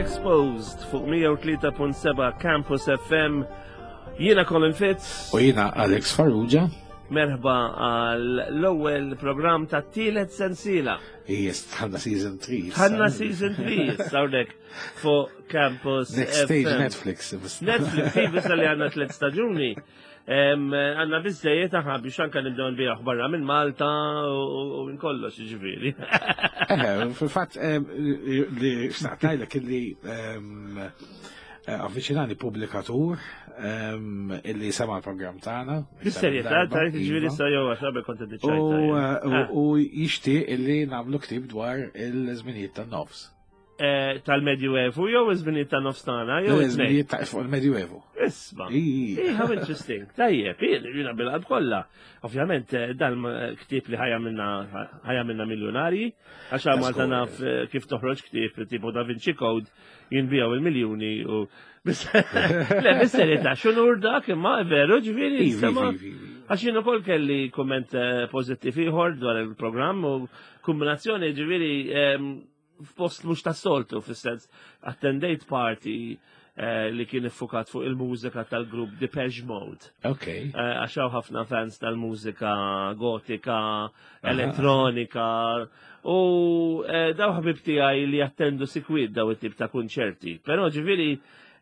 Exposed fuq 103.7 Campus FM. Jiena Colin Fitz. U jiena Alex Farrugia. Merħba għal l-ewwel programm ta' tielet sensiela. Yes, tħanna season 3. Tħanna season 3, sawrek fuq Campus. Next stage Netflix. Netflix, iva li għandna tliet staġuni. Għanna bizzejiet aħna biex anka nibdew nbijaħ barra minn Malta u minn kollox, ġifieri. Eh, fil-fatt li xtaqt ngħidlek illi eh, avviċinani pubblikatur illi sema l-programm tagħna. Bis-serjetà, tajt ġifieri sa jew għax qabel kont iddiċajta. Eh, u jixtieq illi nagħmlu ktieb dwar il-żminijiet tan-nofs. Eh, tal-Medjuevu jew iż-żminijiet ta' nofstana jew iż-żminijiet ta' fuq il-Medjuevu. Isma. How interesting. Tajjeb, jiena bil-qalb kollha. Ovvjament eh, dan ktieb li ħajja minna ħajja minna miljonarji, għax Malta naf eh, kif toħroġ ktieb tipo Da Vinci Code jinbijaw il-miljuni u Le, bis-serjetà, xunur dak imma veru ġifieri. Għax jien ukoll kelli kumment pożittiv ieħor dwar il-programm u kombinazzjoni ġifieri ehm, f'post mhux tas-soltu fis-sens attendejt party eh, li kien iffukat fuq il-mużika tal-grupp Depeche Mode. Ok. Eh, għax hawn ħafna fans tal-mużika gotika, elettronika u eh, daw ħabib tiegħi li jattendu sikwit daw it-tip ta' kunċerti. Però ġifieri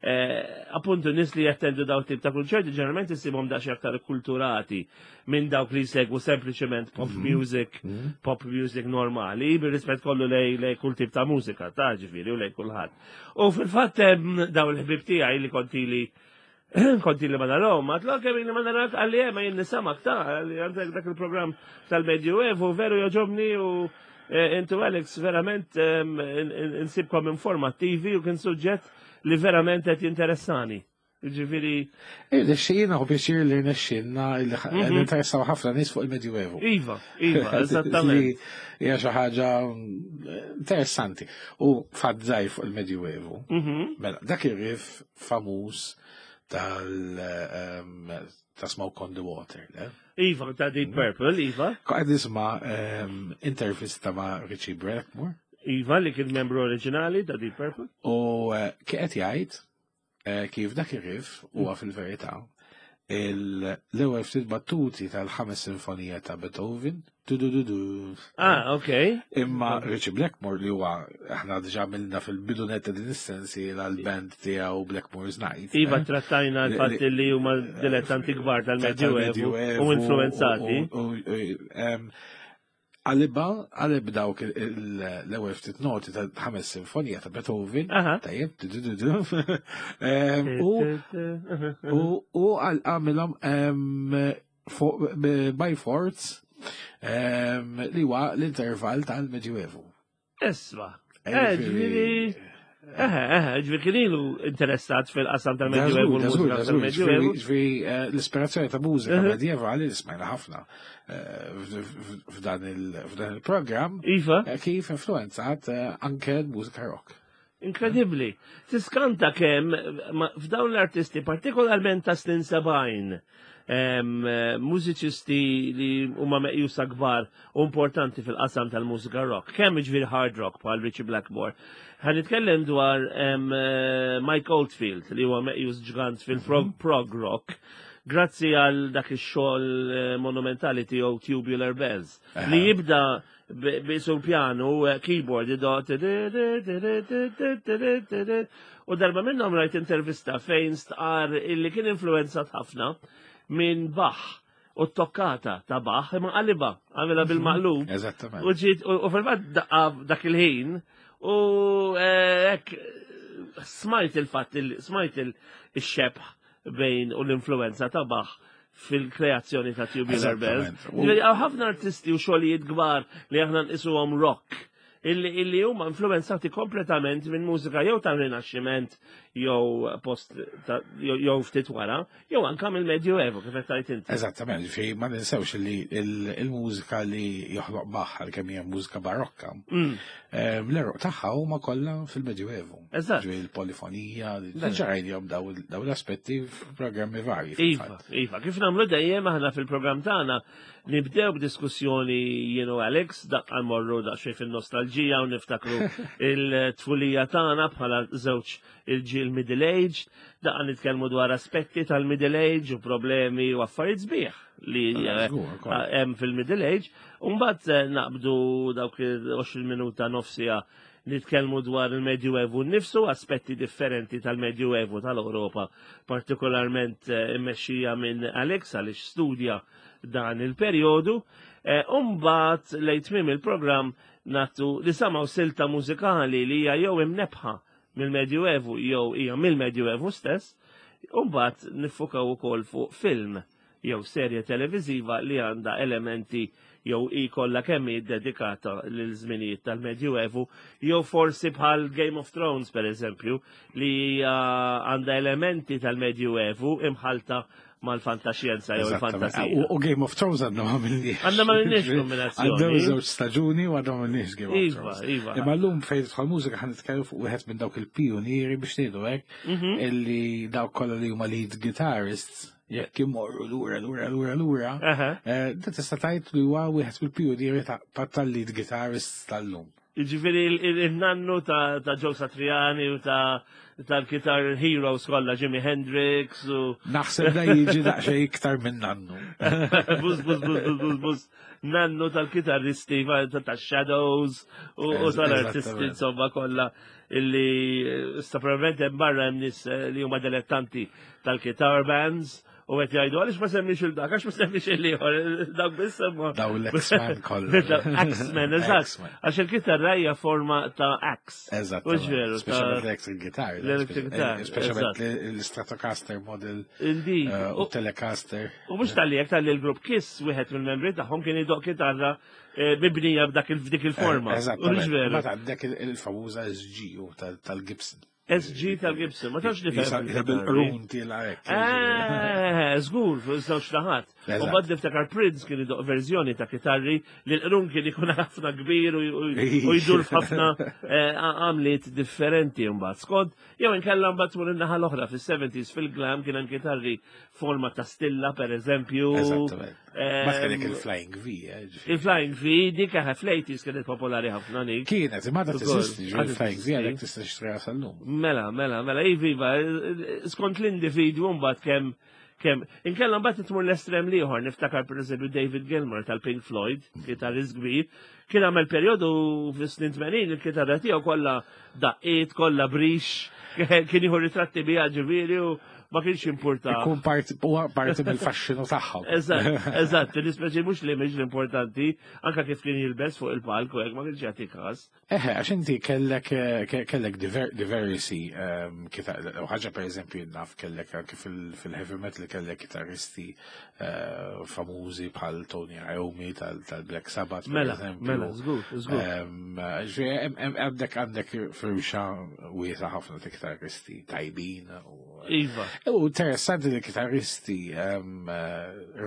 Eh, appuntu nis li jattendu daw tip ta' kunċerti ġeneralment isibhom daqsxejn aktar kulturati minn dawk li jsegwu sempliċement pop mhm. music, mhm. pop music normali, bir-rispett kollu lej lej kull tip ta' mużika, ta' ġifieri u lej kulħadd. U fil-fatt daw il-ħbib tiegħi li konti li konti li ma narahom, ma tlok kemm li ma narak għalli eh, ma jien nisamak ta' għalli għandek dak il-programm tal-Medjuevu veru joġobni u eh, intu Alex verament insibkom informattivi u kien suġġett li verament qed jinteressani. Ġifieri. Irnexxina u pjaċir li rnexxilna li mhm. interessaw ħafna nies fuq il-Medjuevu. Iva, iva, eżattament. Hija xi ħaġa mm, interessanti. U fatt żgħir fuq il-Medjuevu. Mhm. Mela, dak ir-rif famuż tal ehm, ta' Smoke on the Water, le? Iva, ta' Deep mhm. Purple, Iva. Qed nisma' ehm, intervista ma' Richie Blackmore. Iva, li kien membru oriġinali ta' Deep Purple. U eh, kien qed jgħid eh, kif dak ir-riff huwa mm. fil-verità l-ewwel ftit battuti tal-ħames sinfonija ta' Beethoven. Du du du du. Ah, ok. Imma Richie Blackmore li huwa aħna diġà għamilna fil-bidu netta din is-sensi l-band tiegħu Blackmore's Night. Iva eh? trattajna l-fatt li huma dilettanti kbar tal-Medjuevu u influenzati. Għaliba, għalib dawk l-ewwel ftit noti ta' ħames sinfonija ta' Beethoven, tajjeb, u għamilhom by force li huwa l-intervall tal-Medjuevu. Isma. Eh, ġifieri. Eh, eh, ġifieri kien ilu interessat fil-qasam tal-Medjuevu. Ġifieri eh, l-ispirazzjoni ta' mużika medjevali li smajna ħafna f'dan il-programm. Iva. Kif influenzat anke l-mużika rock. Inkredibbli. Tiskanta kemm f'dawn l-artisti, partikolarment ta' snin 70, mużiċisti li huma meqjusa kbar u importanti fil-qasam tal-mużika rock, kemm ġifieri hard rock bħal Richie Blackmore. Ħa nitkellem dwar Mike Oldfield li huwa meqjus ġgant fil-prog mhm. prog rock grazzi għal dak ix-xogħol eh, monumentali tiegħu Tubular Bells li jibda bisu l-pjanu, eh, keyboard, idot, u darba minnhom rajt intervista fejn stqar illi kien influenzat ħafna minn Bach u t-tokkata ta' Bach imma qaliba, għamilha mhm. bil-maqlub. Eżattament. U ġiet u fil-fatt daqqa dak il-ħin u eh, hekk smajt il-fatt smajt il-xebħ bejn u l-influenza ta' Bach fil-kreazzjoni ta' Tubular Bells. Għaw ħafna artisti u xogħlijiet kbar li aħna nqisuhom rock illi huma influenzati kompletament minn mużika jew tal-Rinaxximent jew post jew ftit wara, jew anka mill-Medjuevu kif qed tgħid inti. Eżattament, ġifieri ma ninsewx li il-mużika li joħloq Bach għalkemm hija mużika barokka, l-eruq tagħha huma kollha fil-Medjuevu. Eżatt. Ġifieri l-polifonija, diġà rajnihom daw l-aspetti f'programmi varji. Iva, iva, kif nagħmlu dejjem aħna fil-programm tagħna Nibdew b'diskussjoni jien u Alex, daqqa morru daqsxejn fin-nostalġija u niftakru il-tfulija tagħna bħala żewġ il-ġil middle age, daqqa nitkellmu dwar aspetti tal-middle age u problemi u affarijiet sbieħ li ah, eh, hemm fil-middle age. U mbagħad eh, naqbdu dawk 20 minuta nofsija nitkellmu dwar il-Medjuevu nnifsu, aspetti differenti tal-Medjuevu tal-Ewropa, partikolarment eh, immexxija minn Alex għaliex studja dan il-perjodu. Eh, Umbat lejn tmiem il-programm nagħtu li samaw silta mużikali li hija jew imnebħa mill-Medjuevu jew hija mill-Medjuevu stess, umbat nifukaw ukoll fuq film jew serje televiżiva li għandha elementi jew hi kollha kemm hi dedikata lil żminijiet tal-Medjuevu, jew forsi bħal Game of Thrones per eżempju, li għandha elementi tal-Medjuevu imħalta mal-fantaxjenza jew il-fantasija. U Game of Thrones għadna ma minniex. Għadna ma minniex kombinazzjoni. Għaddew żewġ staġuni u għadna ma minniex Game of iva, Thrones. Iva. Imma llum fejn tidħol mużika ħan nitkellmu fuq wieħed minn dawk il-pionieri biex ngħidu hekk illi dawk kollha li huma lead guitarists jekk imorru lura lura lura lura, eh, da tista' tgħid li huwa wieħed mill-pionieri tal-lead guitarists tal-lum. Ġifieri il-nannu ta' Joe Satriani u ta' tal-guitar heroes kollha Jimi Hendrix u. Naħseb da jiġi daqsxejn iktar minn nannu. Buz, buz, buz, buz, buz, buz. Nannu tal-kitarristi ta' Shadows u tal-artisti insomma kollha illi eh, sta probabilment hemm barra hemm nies eh, li huma dilettanti tal-guitar bands U għet jgħidu, għalix ma semmix il-dak, għax ma semmix il-liħor, dak biss semma. Daw l-X-Men kollha. X-Men, eżatt. Għax il-kitarra hija forma ta' X. Eżatt. U ġveru. Speċjalment l-electric guitar. L-electric guitar. Speċjalment l-Stratocaster model. Indeed. Eh, u Telecaster. U mhux tal-li jek tal-li l-grupp Kiss, wieħed mill-membri tagħhom kien idoq kitarra eh, mibnija b'dak il-fdik il-forma. Eh, eżatt. Ma għandek il-famuża SG tal-Gibson. SG tal-Gibson, ma tafx li fejn. Bil-qrun tila hekk. Eh, żgur, fuq żewġ naħat. U bad niftakar Prince kien idoq verżjoni ta' kitarri li l-qrun kien ikun ħafna kbir u jdur f'ħafna eh, għamliet differenti mbagħad. Skont, jew inkella mbagħad tmur in-naħa l-oħra fis-70s fil-glam kien hemm kitarri forma ta' stilla per eżempju. Eżattament. Ma kellek il-Flying V, eh, Il-Flying V, dik eħe fl-80s kienet popolari ħafna dik. Kienet, imma da teżisti, il-Flying V għalek tista' tixtriha sal-lum. Mela, mela, mela, iva, iva, skont l-individwu mbagħad kemm kemm inkella mbagħad tmur l-estrem liħor, niftakar pereżempju David Gilmour tal-Pink Floyd, kitarrist kbir, kien għamel perjodu fis-snin 80 il-kitarra tiegħu kollha daqqiet, kollha brix, kien jieħu ritratti biha ġifieri u ma kienx importa. Ikun parti huwa parti mill-faxxinu tagħhom. Eżatt, eżatt, l-ispeċi mhux l-image l-importanti, anka kif kien jilbes fuq il-palk u hekk ma kienx jagħti każ. Eħe, għax inti kellek eh, kellek diversi ehm, u ħaġa pereżempju naf kellek anke fil-heavy metal kellek kitarristi eh, famużi bħal Tony Iommi tal-Black Sabbath. Mela, mela, żgur, żgur. Ehm, għandek għandek firxa wiesa ħafna ta' kitarristi tajbin u Iva. U interessanti li kitarristi ehm,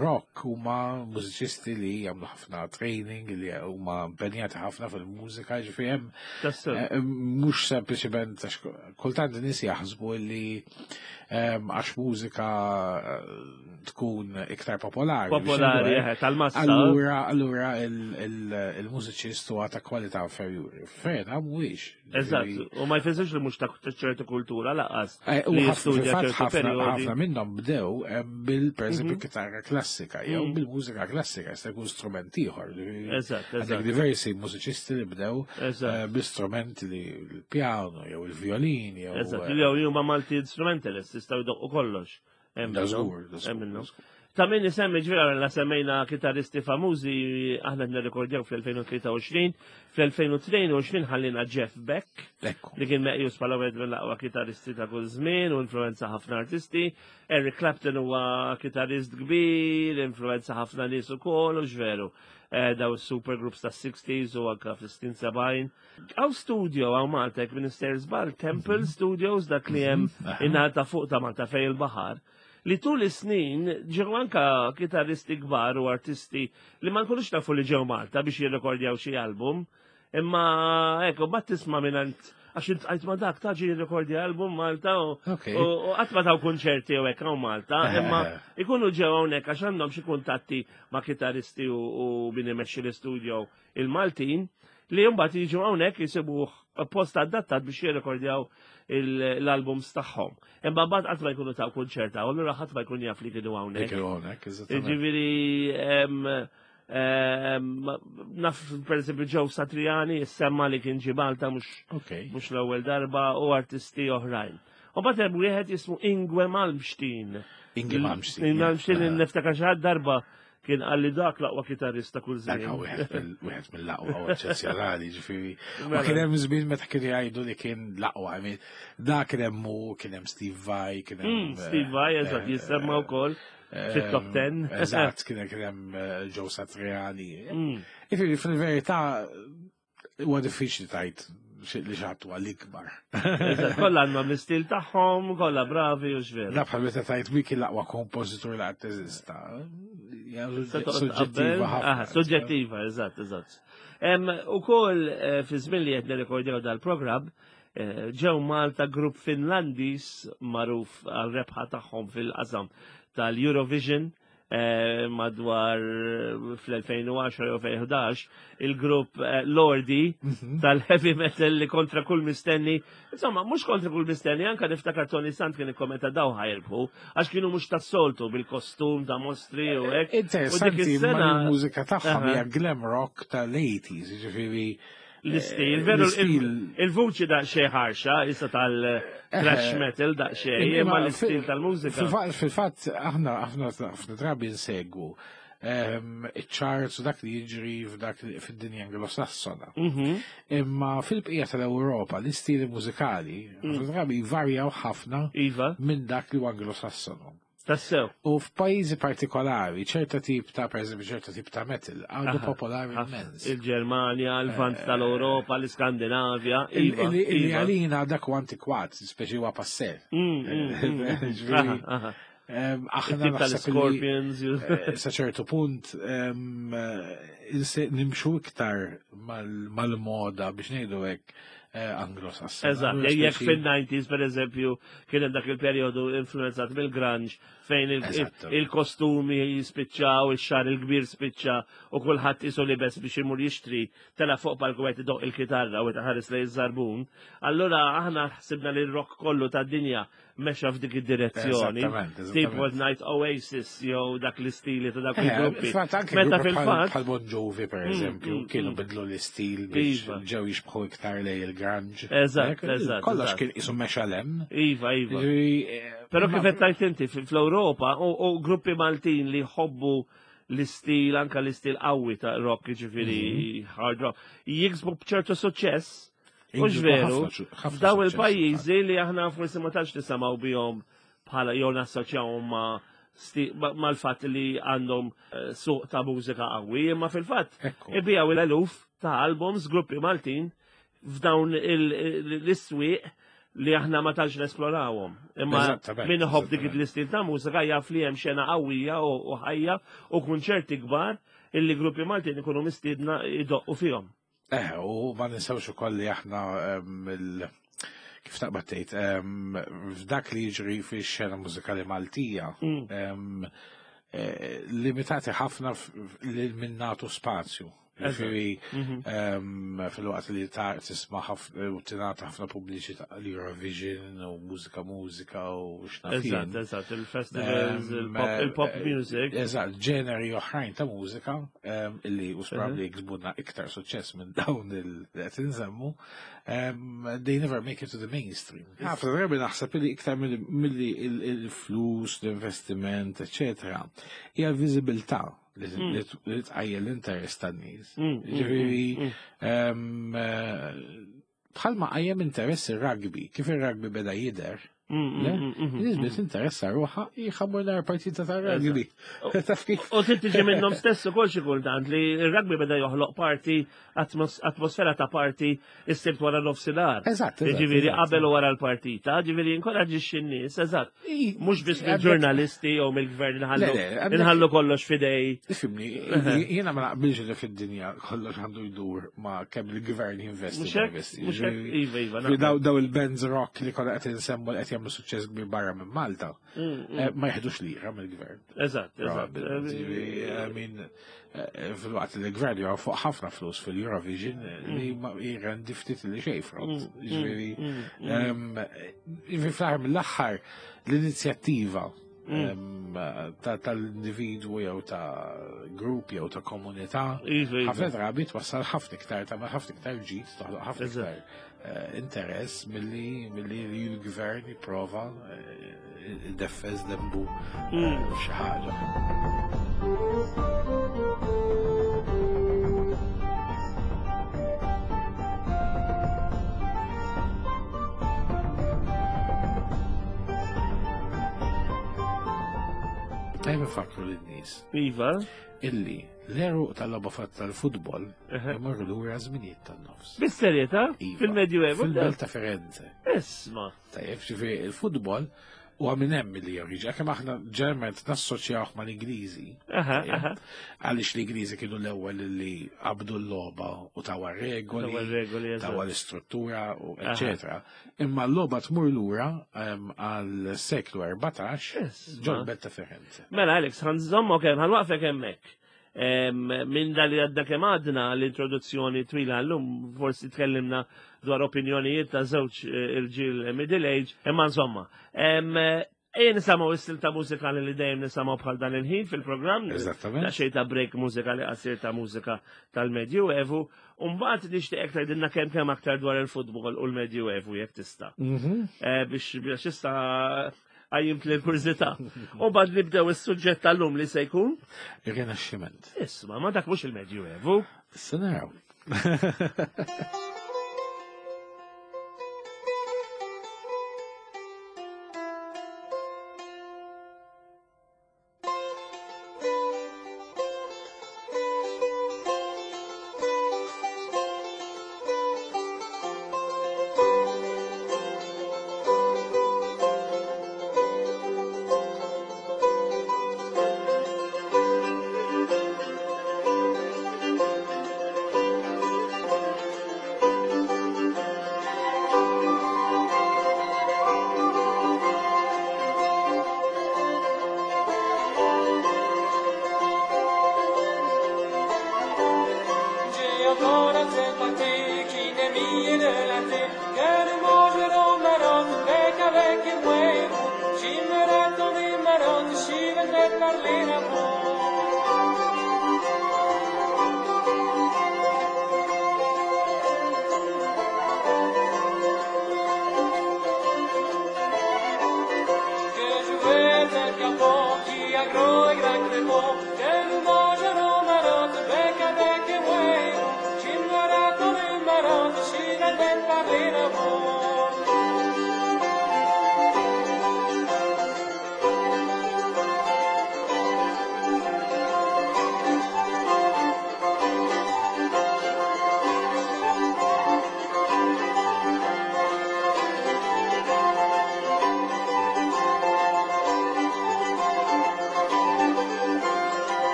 rock huma mużiċisti li jagħmlu ħafna training, li huma impenjati ħafna fil-mużika, ġifieri hemm eh, mhux sempliċement għax kultant nies jaħsbu li ehm, għax mużika eh, tkun iktar popolari. Popolari, eh, tal-massa. Allura, allura il-mużiċist huwa ta' kwalità inferjuri. Fejn, mhuwiex. Eżatt, u ma jfissirx li mhux ta' ċertu kultura laqas. Eh, u ħafna minnhom bdew eh, bil pereżempju mhm. kitarra klassika jew mhm. bil-mużika klassika jista' jkun strument ieħor. Eżatt, eżatt. Diversi mużiċisti li bdew eh, bl-istrumenti li l-pjano jew il-violin jew. Eżatt, jew huma multi instrumentalist jistgħu jdoqqu kollox. Da żgur, da żgur. Ta' min isemmi ġvera la semmejna kitarristi famużi aħna nirrekordjaw fl-2023, fl-2022 ħallina Jeff Beck, li kien meqjus bħala wieħed mill-aqwa kitarristi ta' kull żmien u influenza ħafna artisti. Eric Clapton huwa kitarrist kbir, influenza ħafna nies ukoll u ġveru. Eh, daw supergroups ta' 60s u anka fis-60 70. Għaw studio għaw Malta, jek Minister Zbal, Temple mhm. Studios, dak li hemm mhm. in ta' fuq ta' Malta fej il-baħar li tul is-snin ġew anka kitarristi kbar u artisti li ma nkunux nafu li ġew Malta biex jirrekordjaw xi album, imma ekku ma tisma' mingħand għax intqajt ma dak ta' ġi jirrekordja album Malta u qatt ma taw kunċerti u hekk hawn Malta, imma ikunu ġew hawnhekk għax għandhom xi kuntatti ma' kitarristi u min imexxi l-istudio il-Maltin li mbagħad jiġu hawnhekk jisibuh post adattat biex jirrekordjaw l-albums tagħhom. Imma mbagħad qatt ma jkunu taw kunċerta, u allura ħadd ma jkun jaf li kienu hawnhekk. Kienu hawnhekk, eżattament. Jiġifieri naf per eżempju Joe Satriani semma li kien ġie Malta mhux mhux l-ewwel darba u artisti oħrajn. U mbagħad hemm wieħed jismu Ingwe Malmsteen. Ingwe Malmsteen. Malmsteen niftakar xi ħadd darba Kien qalli dak l-aqwa kitarrist ta' kull żmien. Dak wieħed mill-aqwa u eċċezzjonali, ġifieri. Ma mela. kien hemm żmien meta kienu jgħidu li kien l-aqwa, dak kien hemm hu, kien hemm Steve Vai, kien hemm mm, Steve Vai, eżatt, eh, jissemma wkoll fit-top 10. Eh, eżatt, kien hemm eh, Joe Satriani. Mm. Ġifieri fil-verità Huwa diffiċli tajt li xatt huwa l-ikbar. Kollha għandhom l-istil tagħhom, kollha bravi u x'veru. La bħal meta tajt wiki l-aqwa kompożitur li qatt teżista. Suġġettiva ħafna. Suġġettiva, eżatt, eżatt. Ukoll eh, fi żmien li qed nirrekordjaw dal-programm, eh, ġew Malta grupp Finlandiż magħruf għal rebħa tagħhom fil-qasam tal-Eurovision Eh, madwar fl-2010 jew 2011 il-grupp eh, Lordi mhm. tal-heavy metal li kontra kull mistenni. Insomma, mhux kontra kull mistenni, anka niftakar Tony Sant kien ikkommenta daw ħajrbħu għax kienu mhux tas-soltu bil-kostum ta' mostri u hekk. Interessanti, ma l-mużika tagħhom hija glam rock tal-80s, jiġifieri L-istil, veru il-vuċi daqsxejn ħarxa, issa tal-thrash eh, metal daqsxejn, imma l-istil tal-mużika. Fil-fatt, aħna aħna ħafna drabi nsegwu ehm, iċ-charts u dak li jiġri f'dak fid-dinja anglosassona. Mhm. Imma fil-bqija tal-Ewropa l-istili mużikali ħafna drabi varjaw ħafna iva. minn dak li huwa anglosassonu. Tassew. U f'pajjiżi partikolari, ċerta tip ta' per eżempju ċerta tip ta' metal għadu popolari immens. Il-Ġermanja, il-Vant eh, tal-Ewropa, l-Iskandinavja. Iva, illi iva. għalina dak u antikwat, speċi huwa passé. Mm, mm, mm, Aħna tal-Scorpions. Eh, sa ċertu punt eh, nimxu iktar mal-moda biex ngħidu hekk Eh, anglo-sassoni. Eżatt, jekk fil-90s per eżempju kien hemm dak il-perjodu influenzat mill-grunge fejn il-kostumi jispiċċaw, ix-xar il-kbir spiċċa u kulħadd isu libes biex imur jixtri tela fuq palku qed idoq il-kitarra u ħares lejn iż-żarbun. Allura aħna ħsibna li r-rock kollu tad-dinja mexa f'dik id-direzzjoni. Tipo One Night Oasis jew dak l-istili ta' dak eh, il-gruppi. Meta fil-fatt. Bħal Bon Jovi per mm, eżempju, mm, kienu mm. bidlu l-istil biex iva. ġew jixbħu iktar lej il-grunge. Eżatt, eżatt. Kollox kien isu mexa lem. Iva, iva. Eh, Però kif qed tgħid inti fl-Ewropa u gruppi Maltin li jħobbu l-istil, anka l-istil qawwi ta' rock, ġifieri mhm. hard rock, jiksbu b'ċertu suċċess Mhux veru, f'daw il-pajjiżi li aħna forsi ma tantx nisimgħu bihom bħala jew nassoċjawhom ma' mal-fatt li għandhom eh, suq ta' mużika qawwi, imma fil-fatt ibijaw l-eluf ta' albums gruppi Maltin f'dawn l-iswieq li aħna ma tantx nesplorawhom. Imma min iħobb dik l-istil ta' mużika jaf li hemm xena qawwija u ħajja u kunċerti kbar illi gruppi Maltin ikunu mistiedna idoqqu fihom. Eh, u ma ninsewx ukoll li aħna il kif taqbad tgħid, f'dak li jiġri fix-xena mużikali Maltija, mm. eh, limitati ħafna li minn nagħtu spazju. Ġifieri mhm. filwaqt li ta' tisma' ħafna u tingħata ħafna pubbliċità l-Eurovision u mużika mużika u x'naf. Eżatt, eżatt, il-festivals, il-pop eh, music. Eżatt, ġeneri oħrajn ta' mużika illi u probabbli mhm. jiksbuna iktar suċċess minn dawn il-qed insemmu, they never make it to the mainstream. Ħafna drabi naħseb li iktar milli il-flus, l-investiment, eccetera, hija l-viżibilità li mm. tqajjem l-interess tan-nies. Mm, mm, Ġifieri eh, bħalma qajjem interess ir-rugby, kif ir-rugby beda jidher, Nies biss interessa ruħha jħammur nar partita ta' rugby. Taf kif? U trid tiġi minnhom stess ukoll xi kultant li r-rugby beda joħloq parti atmosfera ta' parti is-sibt wara nofsinhar. Eżatt. Ġifieri qabel u wara l-partita, ġifieri inkoraġġixxi n-nies, eżatt. Mhux biss mill-ġurnalisti jew mill-gvern inħallu kollox fidej. Ifimni, jiena ma naqbilx li fid-dinja kollox għandu jdur ma kemm il-gvern jinvesti. Iva, iva. Daw il-bands rock li kollha qed insemmu li qed jagħmlu suċċess kbir barra minn Malta. Mm, mm. Eh, ma jieħdux lira mill-gvern. Eżatt, eżatt. I mean, eh, fil-waqt li l-gvern jgħu fuq ħafna flus fil-Eurovision eh, li mm. jirrendi ftit li xej frott. Ġifieri, fl-aħħar mill-aħħar l-inizjattiva tal-individwu jew ta' grupp jew ta' komunità iva, iva. ħafna drabi twassal ħafna iktar ta' ħafna iktar ġid, toħloq ħafna iktar Eh, interess milli milli li l-gvern jipprova eh, defez dembu eh, mm. xi ħaġa. Tajba fakru lin-nies. Iva. Illi l-eru tal-logħba tal-futbol imorru lura żminijiet tan-nofs. Bis-serjetà? Iva. Fil-Medjuevo? Fil-belt ta' Firenze. Isma. Tajjeb, ġifieri il-futbol huwa minn hemm li joriġi, kemm aħna ġeneralment nassoċjawh mal-Ingliżi. Għaliex l-Ingliżi kienu l-ewwel li qabdu l-logħba u tawa regoli, tawa l-istruttura, u eċetera. Imma l-logħba tmur lura għal seklu 14 ġol-belt ta' Firenze. Mela Alex, ħanżommok hemm, ħanwaqfek hemmhekk. Minn dal li għadda kemm għadna l-introduzzjoni twila llum forsi tkellimna dwar opinjonijiet ta' żewġ eh, irġiel middle age, imma insomma. Ejja nisimgħu is-stil ta' mużikali li dejjem nisimgħu bħal dan il-ħin fil-programm. Eżattament. Ta' xejn ta' break mużikali qasir ta' mużika tal-Medjuevu. U mbagħad nixtieq tgħidilna kemm kemm aktar dwar il-futbol u l-Medjuevu jekk tista'. Mhm. Eh, biex biex issa għajjimt li l-kurżità. U bad nibdew is-suġġett tal-lum li se jkun? Ir-Rinaxximent. Isma, ma dak mhux il-Medjuevu. Issa naraw.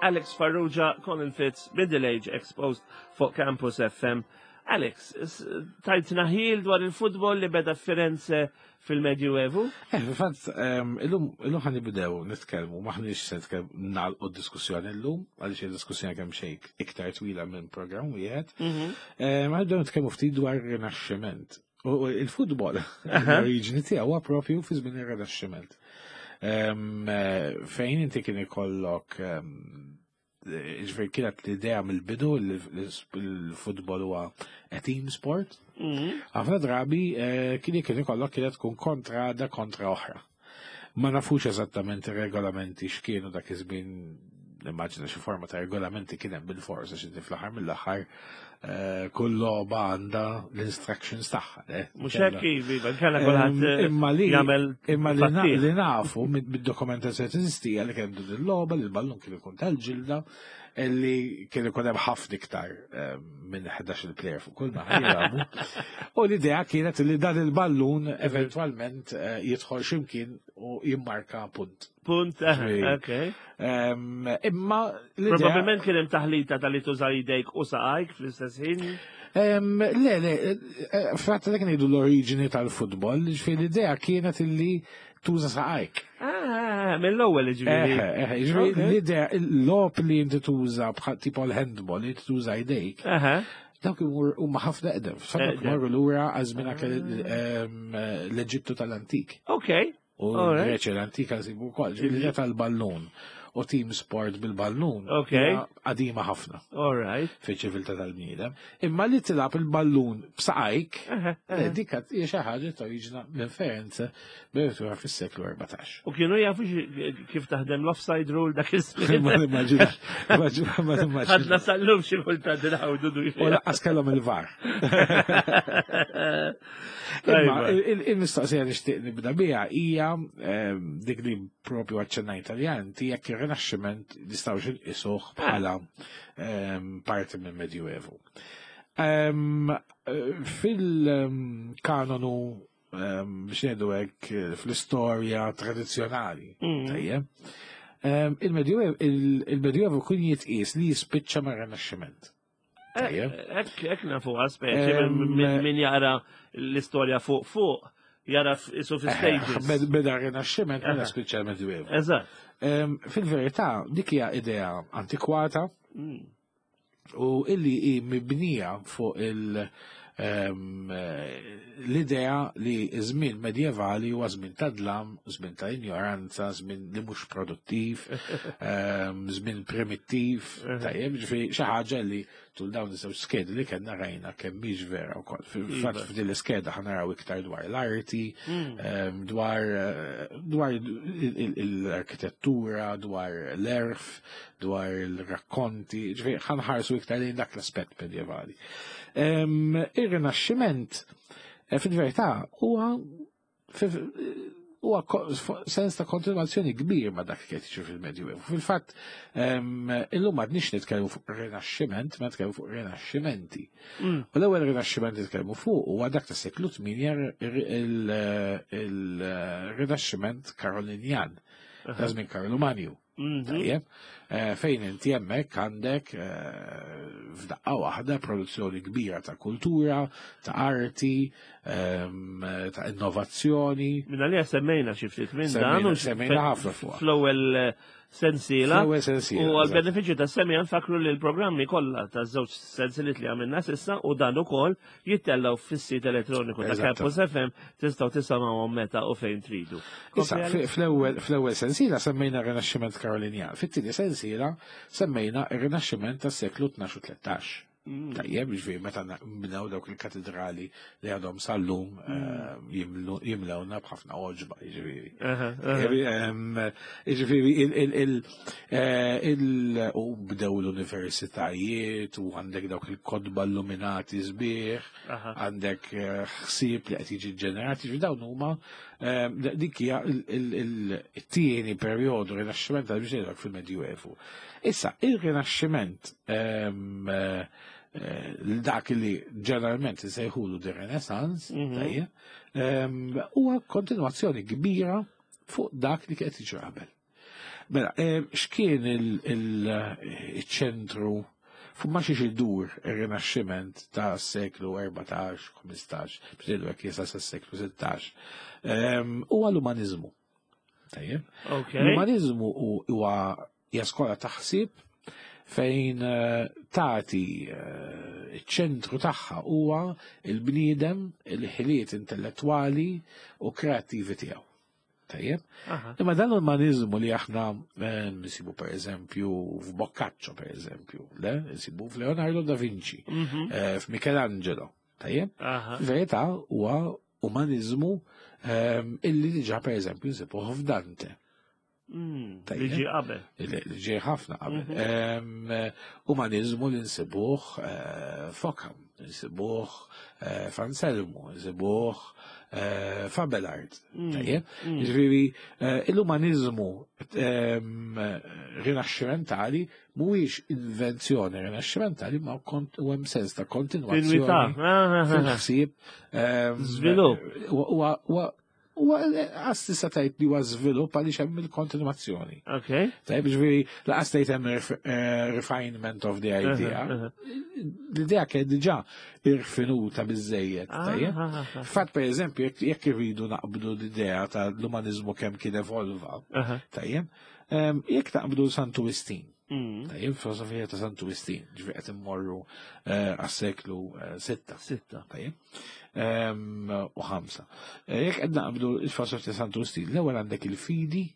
Alex Farrugia, Colin Fitz, Middle Age Exposed fuq Campus FM. Alex, tajtna ħil dwar il-futbol li beda Firenze fil-Medjuevu? Eh, fil-fatt, ehm, illum ħan nibdew nitkellmu, maħniex se nitkellmu nagħlqu d-diskussjoni llum, għaliex il-diskussjoni kemm xejn iktar twila minn programm wieħed. Mhm. Ehm, ħan nibdew nitkellmu ftit dwar rinaxximent. U il-futbol, l-oriġini tiegħu huwa propju fi żmien ir-Rinaxximent. Ehm, eh, fejn inti kien ikollok ġifieri kienet l-idea mill-bidu li l-futbol huwa a team sport. Mhm. Ħafna drabi eh, kien kien ikollok kienet tkun kontra da kontra oħra. Ma nafux eżattament ir-regolamenti x'kienu dak iż-żmien nimmaġina xi forma ta' regolamenti kien hemm bil-fors għax inti fl-aħħar mill-aħħar eh, kull logħba għandha l-instructions tagħha. Eh, Mhux hekk ivi, kellha kulħadd eh, imma li jagħmel imma li nafu mid-dokumentazzjoni teżisti li kien din il-logħba li l-ballun kien ikun tal-ġilda li kien ikun hemm ħafna iktar minn 11 il-player fuq kull naħa jilagħbu. U l-idea kienet li dan il-ballun eventwalment jidħol x'imkien u jimmarka punt. Punt, ok. Imma Probabilment kien hemm taħlita tal-li tuża jdejk u saqajk fl-istess ħin. Le, le, eh, fratta dak ngħidu l-oriġini tal-futbol, ġifieri l-idea kienet illi tuża saqajk. Ah, mill-ewwel ġifieri. Eh, eh, ġifieri l-idea l-logħob li inti tuża bħal tipo l-handball li tuża jdejk. Dawk huma ħafna eqdem, dawk imorru lura għal żmien anke l-Eġittu tal-antik. Ok. U l-Greċja l-antika nsibu wkoll, ġifieri tal-ballun u team sport bil-ballun. Ok. Qadima ħafna. All right. Fiċ-ċiviltà tal-bniedem. Imma li tilgħab il-ballun b'saqajk, eh, dik hija xi ħaġa toriġina minn Ferenze b'tura fis-seklu 14. U kienu jafu kif taħdem l-offside rule dak iż-żmien. Ma nimmaġinax. Ma nimmaġinax. Ħadna sal-lum xi kultant inħawdu U laqqas kellhom il-VAR. Imma il-mistoqsija li xtieq nibda biha hija ehm, dik li propju għaċċennajt għalija inti jekk ir-Rinaxximent nistgħux inqisuh bħala ehm, parti minn Medjuevu. Ehm, fil-kanonu biex ngħidu hekk fl-istorja tradizzjonali, mm. tajjeb, il-Medjuevu kien jitqies li jispiċċa mar-Rinaxximent. Ek, ek nafu speċi min jara l-istorja fuq fuq, jara isu fi stages. Beda rinaxximent mela spiċċa l-Medjuevu. Eżatt. Fil-verità, dik hija idea antikwata mm. u illi hi mibnija fuq il- l-idea li żmien medjevali huwa żmien ta' dlam, żmien ta' ignoranza, żmien li mhux produttiv, żmien primittiv, tajjeb, ġifieri xi ħaġa li tul dawn iż-żewġ skedi li kellna rajna kemm mhix vera wkoll. Fil-fatt iva. f'din l-iskeda ħa naraw iktar dwar l-arti, mm. dwar eh, dwar l-arkitettura, dwar l-erf, dwar il-rakkonti, ġifieri ħanħarsu iktar lejn dak l-aspett medjevali. Ir-Rinaxximent eh, fil-verità huwa huwa sens ta' kontinuazzjoni kbir ma' dak li qed jiġri fil-Medjuevu. Fil-fatt, illum m'għadniex nitkellmu fuq Rinaxximent, ma nitkellmu fuq Rinaxximenti. Mm. U l-ewwel Rinaxximent nitkellmu fuq huwa dak ta' seklu 8 il-Rinaxximent Karolinjan, ta' żmien Karlu Manju. Mhm. Tajjeb, eh, fejn inti hemmhekk għandek eh, f'daqqa waħda produzzjoni kbira ta' kultura, ta' arti, ehm, ta' innovazzjoni. Minna li semmejna xi ftit minn dan u semmejna ħafna fuq. Fl-ewwel eh, sensiela. Fl-ewwel sensiela. U għal-benefiċċju ta' semmi nfakru li l-programmi kollha ta' żewġ sensiliet li għamilna sissa u dan ukoll jittellgħu fis-sit elettroniku ta' Campus FM tistgħu tisimgħuhom meta u fejn tridu. Issa, fl-ewwel sensiela semmejna r-Rinaxximent Karolinjan, fit-tieni sensiela semmejna r-Rinaxximent tas-seklu 12 u 13. Mm. Tajjeb, ġifieri meta bnew dawk il-katedrali li għadhom sal-lum mm. eh, jimlewna b'ħafna oġba, ġifieri. Ġifieri Eh, u bdew l-universitajiet u għandek dawk il-kodba illuminati sbieħ, għandek eh, ħsieb li qed jiġi ġenerat, jiġi dawn huma eh, dik hija il-tieni perjodu rinaxximent tal biex fil-Medjuevu. Issa, il-rinaxximent ehm, dak li ġeneralment insejħulu di Renaissance, mhm. ehm, huwa kontinwazzjoni kbira fuq dak li qed jiġri qabel. Mela, eh, x'kien il-ċentru? Fuq ma xiex idur ir-Rinaxximent ta' seklu 14, 15, biex ngħidu hekk jisa sa' seklu 16. Huwa l-umanizmu. Tajjeb. L-umanizmu huwa hija skola ta' ħsieb fejn tagħti iċ-ċentru tagħha huwa il-bniedem, il-ħiliet intellettwali u kreattivi tiegħu. Tajjeb? Imma dan l-umanizmu li aħna nsibu per eżempju f'Boccaccio per eżempju, le? Nsibu f'Leonardo da Vinci, f'Michelangelo. Tajjeb? Verità huwa umanizmu illi diġà per eżempju nsibuh f'Dante. Li ġie qabel. Li ġie ħafna qabel. Umanizmu li nsibuh f'Occam, nsibuh f'Anselmo, nsibuh f'Abelard. Tajjeb? Ġifieri, l-umanizmu rinaxximentali mhuwiex invenzjoni rinaxximentali ma u hemm sens ta' kontinwazzjoni fil-ħsieb. Żvilupp. U għas tista' tgħid li huwa żvilupp għaliex hemm il-kontinwazzjoni. Tajjeb, ġifieri laqas tgħid hemm refinement of the idea. L-idea kien diġà irfinuta biżejjed, tajjeb. Fatt per eżempju, jekk irridu naqbdu l-idea tal-umanizmu kemm kien evolva, tajjeb, jekk naqbdu Santu Wistin, tajjeb, filosofija ta' Santu Wistin, ġifieri qed immorru għas-seklu 6. 6. Tajjeb. U 5. Jekk qed naqbdu l-filosofija ta' Santu Wistin, l-ewwel għandek il-fidi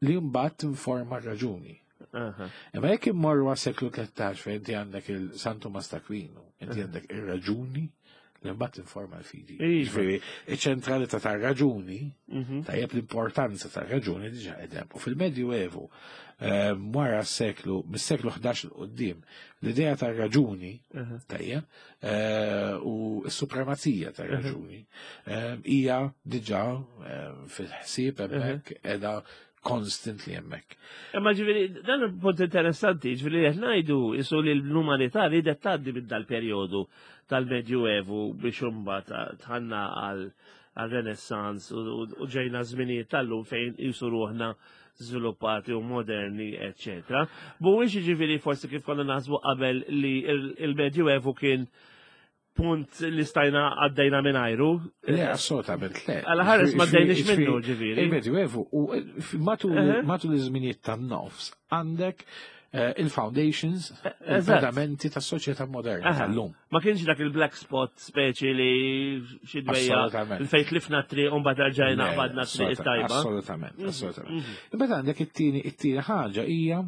li mbagħad tinforma r-raġuni. Imma jekk immorru għas-seklu 13 fejn inti għandek il-San Tumas t'Aquino, inti għandek ir-raġuni li mbagħad tinforma l-fidi. Ġifieri, iċ-ċentralità tar-raġuni, tajjeb l-importanza tar-raġuni diġà qegħdem. U fil-Medju Evu, wara s-seklu, mis-seklu 11 'l quddiem, l-idea tar-raġuni, tajjeb, u s-supremazija tar-raġuni hija diġà fil-ħsieb hemmhekk qiegħda constantly hemmhekk. Imma ġifieri, dan il-punt interessanti, ġifieri qed ngħidu isu li l-umanità ridet tgħaddi minn dal-perjodu tal-Medjuevu biex imbagħad tħanna għal Renaissance u ġejna żminijiet tal-lum fejn jisu ruħna żviluppati u moderni, eccetera. Mhuwiex ġifieri forsi kif konna naħsbu qabel li il-Medjuevu kien punt li stajna għaddejna minn ajru. Le, assolutament le. Għala ħares ma għaddejniex minnu ġifieri. Il-Medjuevu u matul iż-żminijiet tan-nofs għandek il-foundations, il-pedamenti tas-soċjetà moderna tal-lum. Ma kienx dak il-black spot speċi li xi dwejja il fejn tlifna triq u mbagħad rġajna qbadna triq it-tajba. Assolutament, assolutament. Imbagħad għandek it-tieni ħaġa hija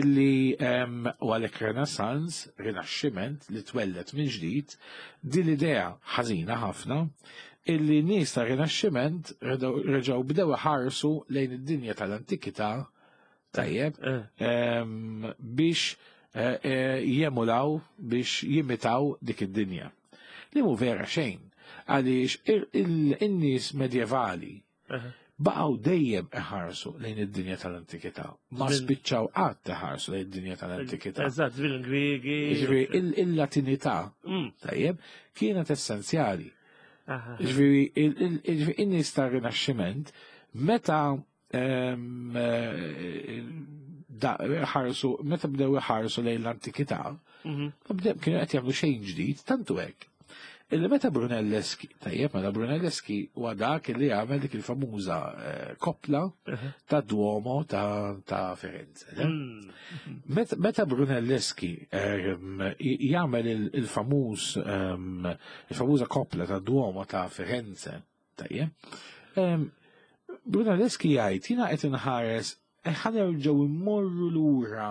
illi u għalhekk Renaissance, Rinaxximent li twellet minn ġdid, din l-idea ħażina ħafna illi nies ta' Rinaxximent reġgħu bdew iħarsu lejn id-dinja tal-antikità, tajjeb, biex jemulaw, biex jimitaw dik id-dinja. Li mu vera xejn, għaliex in-nies medjevali baqgħu dejjem iħarsu lejn id-dinja tal-antikità. Ma spiċċaw qatt iħarsu lejn id-dinja tal-antikità. Eżatt, żmien Griegi. Ġifieri il-Latinità, tajjeb, kienet essenzjali. Ġifieri in-nies tar-Rinaxximent meta ħarsu, meta bdew iħarsu lejn l-antikità, ma bdew kienu qed jagħmlu xejn ġdid, tantu hekk. Illi meta Brunelleschi, tajjeb, mela Brunelleschi huwa dak li għamel dik il-famuża koppla ta' Duomo ta' Firenze. Le? Meta Brunelleschi jagħmel il-famuża koppla ta' Duomo ta' Firenze, tajjeb, Brunelleschi jgħid jiena qed inħares ħa nerġgħu immorru lura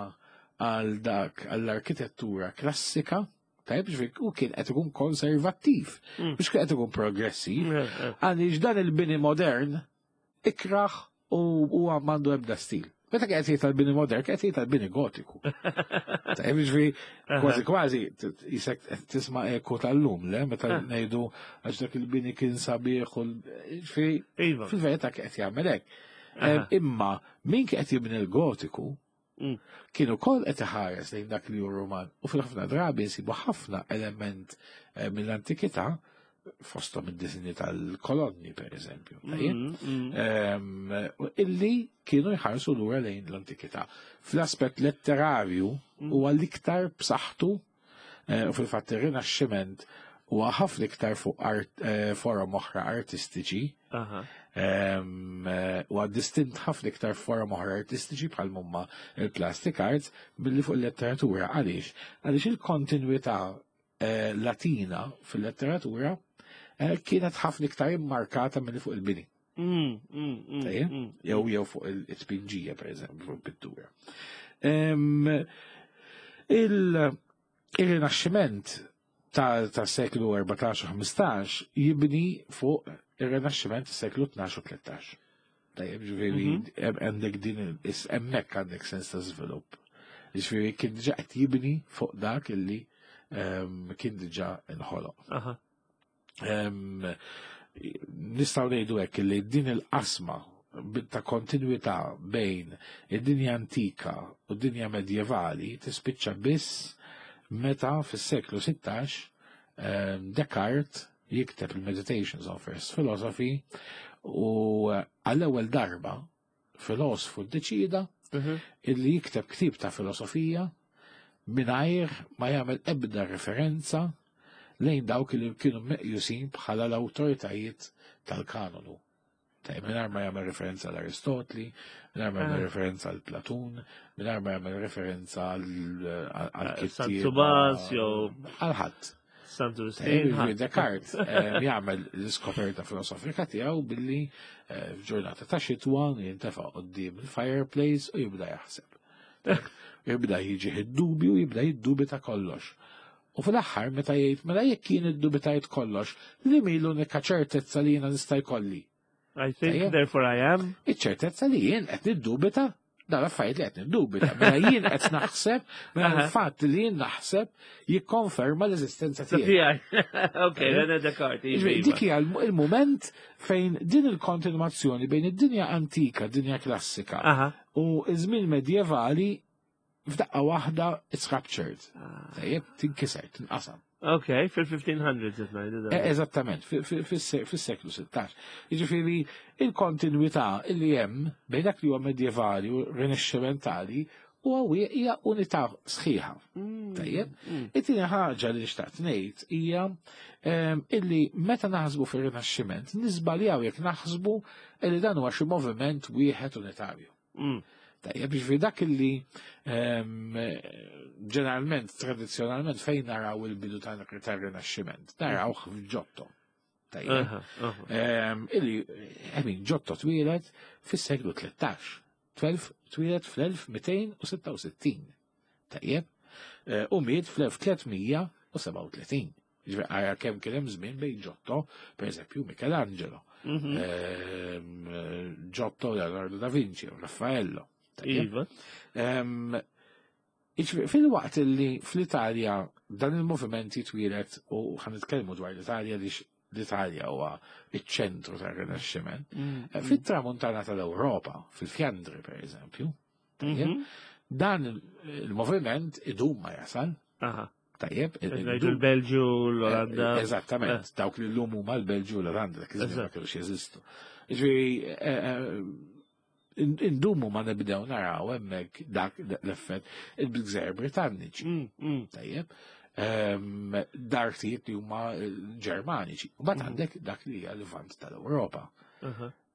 għal dak għall-arkitettura klassika. Tajjeb, ġifieri, u kien qed ikun konservattiv, mhux kien qed ikun progressiv, għaliex dan il-bini modern ikraħ u huwa m'għandu ebda stil. Meta kien qed jgħid tal-bini modern, kien qed jgħid tal-bini gotiku. Tajjeb, ġifieri, kważi kważi jisek tisma' eku tal-lum, le? Meta ngħidu għax dak il-bini kien sabiħ u ġifieri, fil-verità kien qed jagħmel hekk. Imma min kien qed jibni l-gotiku kienu kol qed iħares lejn dak li hu Ruman u fil-ħafna drabi nsibu ħafna element mill-antikità fosthom id-disinji tal-kolonni per eżempju, tajjeb? Illi kienu jħarsu lura lejn l-antikità. Fl-aspett letterarju, huwa l-iktar b'saħħtu u fil-fatt ir-Rinaxximent huwa ħafna iktar fuq forom oħra artistiċi. Huwa distint ħafna iktar forom oħra artistiċi bħal mumma il-plastic arts milli fuq il-letteratura. Għaliex? Għaliex il-kontinwità Latina fil-letteratura kienet ħafna iktar immarkata milli fuq il-bini. Jew fuq il-tpinġija, per eżempju, fuq il-pittura. Il-Rinaxximent ta' seklu 14 u 15 jibni fuq il-Rinaxximent ta' seklu 12 u 13. Tajjeb, ġifieri għandek din hemmhekk għandek sens ta' żvilupp. Ġifieri kien diġà qed jibni fuq dak illi kien diġà inħoloq. Nistgħu ngħidu hekk li din il-qasma ta' kontinwità bejn id-dinja antika u d-dinja medjevali tispiċċa biss meta fis-seklu 16 Descartes jikteb il-Meditations on First Philosophy u għall-ewwel darba filosofu ddeċida illi jikteb ktib ta' filosofija mingħajr ma jagħmel ebda referenza lejn dawk li kienu meqjusin bħala l-awtoritajiet tal-kanonu. Tajjeb, mingħajr ma jagħmel referenza għal Aristotli, mingħajr ma jagħmel referenza għal Platun, mingħajr ma jagħmel referenza għal San Tumas jew għal ħadd. Santu Wistin. Descartes jagħmel l-iskoperta filosofika tiegħu billi f'ġurnata ta' xitwa jintefa' quddiem il-fireplace u jibda jaħseb. Jibda jiġi id-dubju, jibda jiddubita kollox. U fl-aħħar meta jgħid mela jekk jien iddubitajt kollox, li mi l-unika ċertezza li jiena nista' jkolli. I think, therefore I am. Iċ-ċertezza li jien qed niddubita dan affarijiet li qed niddubita. Mela jien qed naħseb, mela l-fatt li jien naħseb jikkonferma l-eżistenza tiegħi. Ok, René Descartes. Dik hija il-mument fejn din il-kontinuazzjoni bejn id-dinja antika, dinja klassika, u iż-żmien medjevali f'daqqa waħda it's ruptured. Tajjeb, tinkiser, tinqasam. Ok, fil-1500s qed ngħidu dan. Eżattament, fis-seklu 16. Jiġifieri il-kontinwità li hemm bejn dak li huwa medjevali u rinascimentali huwa hija unità sħiħa. Tajjeb? It-tieni ħaġa li xtaqt ngħid hija illi meta naħsbu fir-Rinaxximent niżbaljaw jekk naħsbu illi dan huwa xi moviment wieħed unitarju. Tajjeb, ġifieri dak illi ġeneralment, tradizzjonalment fejn naraw il-bidu tar-Rinaxximent, narawh f'Giotto. Tajjeb. Illi, I mean, Giotto twieled fis-seklu 13. 12 twieled fl-1266. Tajjeb. U miet fl-1337. Ġifieri ara kemm kien hemm żmien bejn Giotto, per eżempju, Michelangelo. Giotto, Leonardo da Vinci, Raffaello. Iva. Fil-waqt li fl-Italja dan il-moviment jitwieled u ħa nitkellmu dwar l-Italja li l-Italja huwa iċ-ċentru tar-Rinaxximent. Fit-tramuntana tal-Ewropa, fil-Fjandri per eżempju, dan il-moviment idum ma jasal. Tajjeb, Ngħidu l-Belġju, l-Olanda. Eżattament, dawk li l-lum huma l-Belġju u l-Olanda, dak iż-żmien ma kienux jeżistu. Ġifieri indumu ma nibdew naraw hemmhekk dak l-effett il-Gżejjer Britanniċi. Tajjeb. Dartijiet li huma Ġermaniċi. U mbagħad għandek dak li hija l-Lvant tal-Ewropa.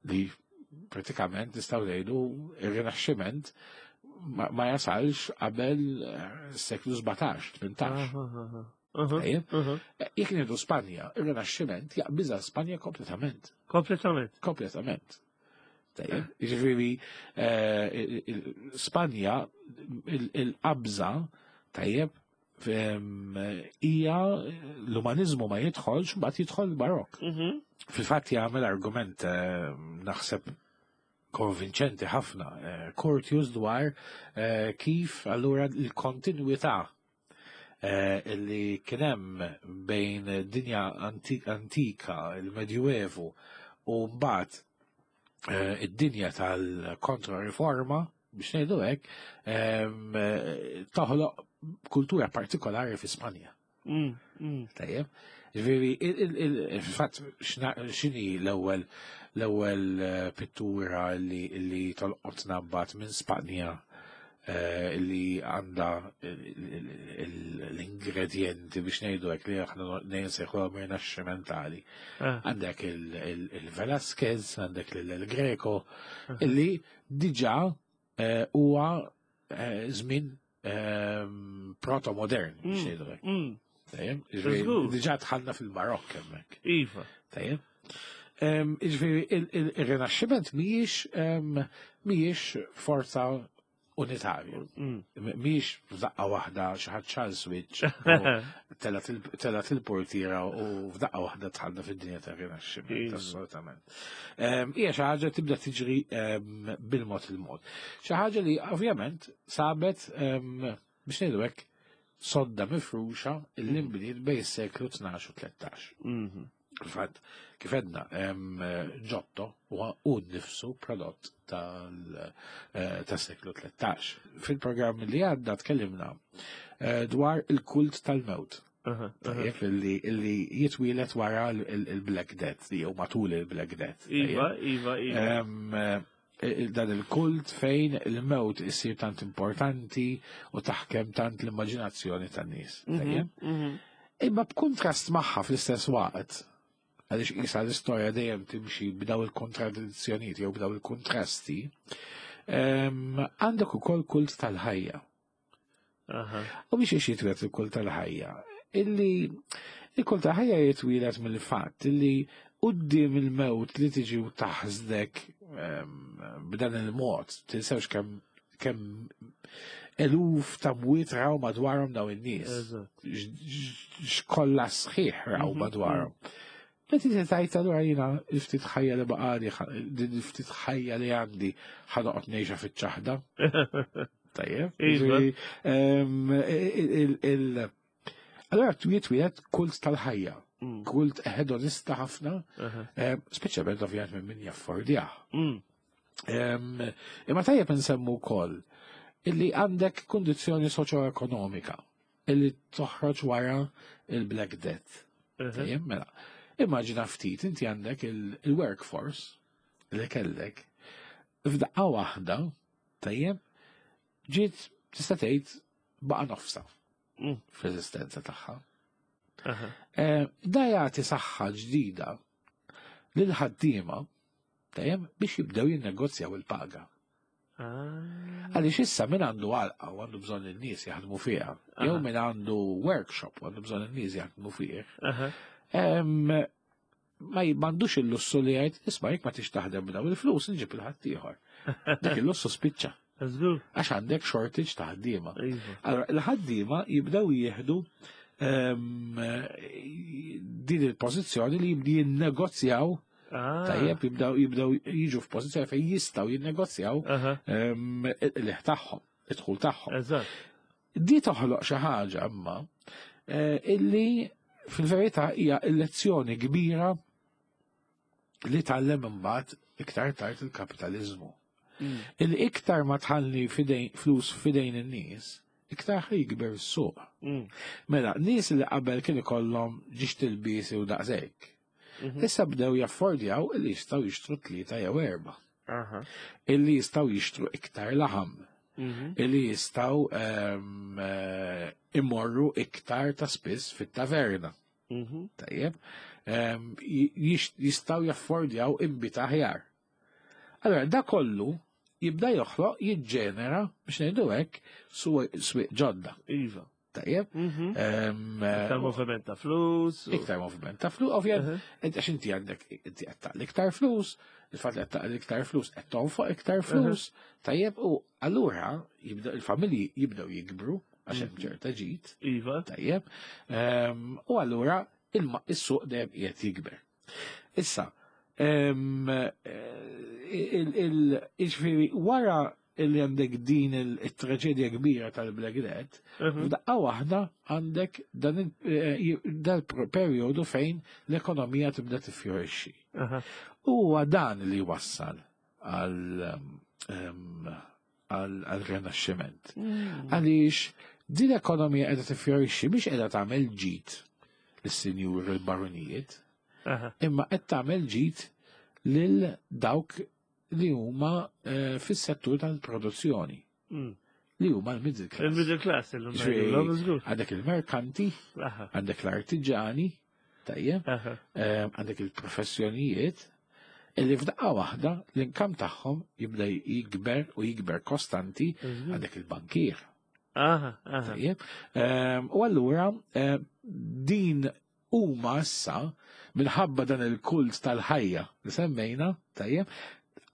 Li pratikament nistgħu ngħidu ir-Rinaxximent ma jasalx qabel seklu 17, 18. Tajjeb? Jekk ngħidu Spanja, ir-Rinaxximent jaqbiżha Spanja kompletament. Kompletament. Kompletament. Tajjeb, jiġifieri Spanja il-qabża tajjeb hija l-umanizmu ma jidħolx, mbagħad jidħol il-Barokk. Fil-fatt jagħmel argument naħseb konvinċenti ħafna Curtius dwar kif allura l-kontinwità li kien hemm bejn dinja antika, il-Medjuevu, u mbagħad id-dinja tal-kontra-riforma, biex ngħidu hekk, toħloq kultura partikolari fi Spanja. Tajjeb. Ġifieri, fil-fatt, x'inhi l-ewwel pittura li tolqotna mbagħad minn Spanja? Li għandha l-ingredienti biex ngħidu hekk li aħna nsejħu rinaxximentali. Għandek il-Velasquez, għandek il Greco, illi diġà huwa żmien proto-modern biex ngħidu hekk. Tajjeb, diġà dħalna fil-Barokk hemmhekk. Iva. Tajjeb. Jiġifieri il-Rinaxximent mhijiex forza unitarja. Mhijiex f'daqqa waħda xi ħadd xagħal switch, telgħet il-portiera u f'daqqa waħda dħalna fid-dinja tar-Rinaxximent, assolutament. Hija xi ħaġa tibda tiġri bil-mod il-mod. Xi ħaġa li ovvjament sabet biex ngħidu hekk sodda mifruxa illi nbniet bejn is-seklu 12 u 13. Fil-fatt, kif għedna, Giotto huwa hu nnifsu prodott tas-seklu 13. Fil-programm li għadda tkellimna dwar il-kult tal-mewt. Tajjeb, illi jitwielet wara il-Black Death, jew matul il-Black Death. Iva, iva, iva. Dan il-kult fejn il-mewt issir tant importanti u taħkem tant l-immaġinazzjoni tan-nies. Tajjeb? Imma b'kuntrast magħha fl-istess waqt, għaliex isa l-istorja dejjem timxi b'daw il-kontradizzjonijiet jew b'daw il-kontrasti, għandek ukoll kult tal-ħajja. U biex jitwieled il-kult tal-ħajja, illi il-kult tal-ħajja jitwieled mill-fatt illi quddiem il-mewt li tiġi u taħsdek b'dan il-mod, tinsewx kemm eluf ta' mwiet raw madwarhom daw in-nies. X'kollha sħiħ raw madwarhom. Meta inti tgħid allura jiena l-ftit ħajja li baqali, din il-ftit ħajja li għandi ħa noqgħod ngħixha fiċ-ċaħda. Tajjeb. Iva. Allora jitwieled kult tal-ħajja, kult hedonista ħafna, speċjalment ovvjament minn min jaffordjah. Imma tajjeb nsemmu wkoll illi għandek kundizzjoni soċjoekonomika illi toħroġ wara il-Black Death. Tajjeb, mela. Immaġina ftit, inti għandek il-workforce li kellek f'daqqa waħda, tajjeb, ġiet tista' tgħid baqa' nofsa fl-eżistenza tagħha. Da jagħti saħħa ġdida lil ħaddiema tajjeb biex jibdew jinnegozjaw il-paga. Għaliex issa min għandu għalqa u għandu bżonn in-nies jaħdmu fiha, jew min għandu workshop u għandu bżonn in-nies jaħdmu fih, ma m'għandux il-lussu li jgħid, isma' jekk ma tix taħdem b'daw il-flus nġib il-ħaddieħor. Dak il-lussu spiċċa. Għax għandek shortage ta' ħaddiema. Allora, il-ħaddiema jibdew jieħdu din il-pożizzjoni li jibdi jinnegozjaw. Tajjeb, jibdew jiġu f'pożizzjoni fejn jistgħu jinnegozjaw il-qligħ tagħhom, id-dħul tagħhom. Di toħloq xi ħaġa imma illi fil-verità hija lezzjoni kbira li tgħallem imbagħad iktar tard il-kapitaliżmu. Illi iktar ma tħalli flus fidejn in-nies, iktar ħa jikber is-suq. Mela, nies li qabel kien ikollhom ġiex tilbiesi u daqshekk. Issa bdew jaffordjaw illi jistgħu jixtru tlieta jew erba'. Illi jistgħu jixtru iktar laħam. Illi jistgħu imorru iktar ta' spiss fit-taverna. Tajjeb. Jistgħu jaffordjaw inbid aħjar. Allora, da kollu jibda joħloq, jiġġenera, biex ngħidu hekk, swieq ġodda. Iva. Tajjeb. Iktar moviment ta' flus. Iktar moviment ta' flus, ovvjament, għax inti għandek, inti qed taqli iktar flus, il-fatt li qed taqli iktar flus, qed tonfoq iktar flus, tajjeb, u allura jibda il-familji jibdew jikbru, għax hemm ċerta ġid. Tajjeb. U allura is-suq dejjem qiegħed jikber. Issa, jiġifieri wara illi għandek din il-traġedja kbira tal-Black Death, f'daqqa waħda għandek dan dal-perjodu fejn l-ekonomija tibda tiffjorixxi. Huwa dan li wassal għal-Rinaxximent. Għaliex din l-ekonomija qiegħda tiffjorixxi biex qiegħda tagħmel ġid lis-sinjur il-baronijiet, imma qed tagħmel ġid lil dawk li huma fis-settur tal-produzzjoni. Li huma l-middle class. Il-middle class, il-middle Għandek il-merkanti, għandek l-artiġani, tajjeb, għandek il-professjonijiet, illi f'daqqa waħda l-inkam tagħhom jibda jikber u jikber kostanti għandek il-bankier. Tajjeb. U allura din huma issa minħabba dan il-kult tal-ħajja li semmejna, tajjeb,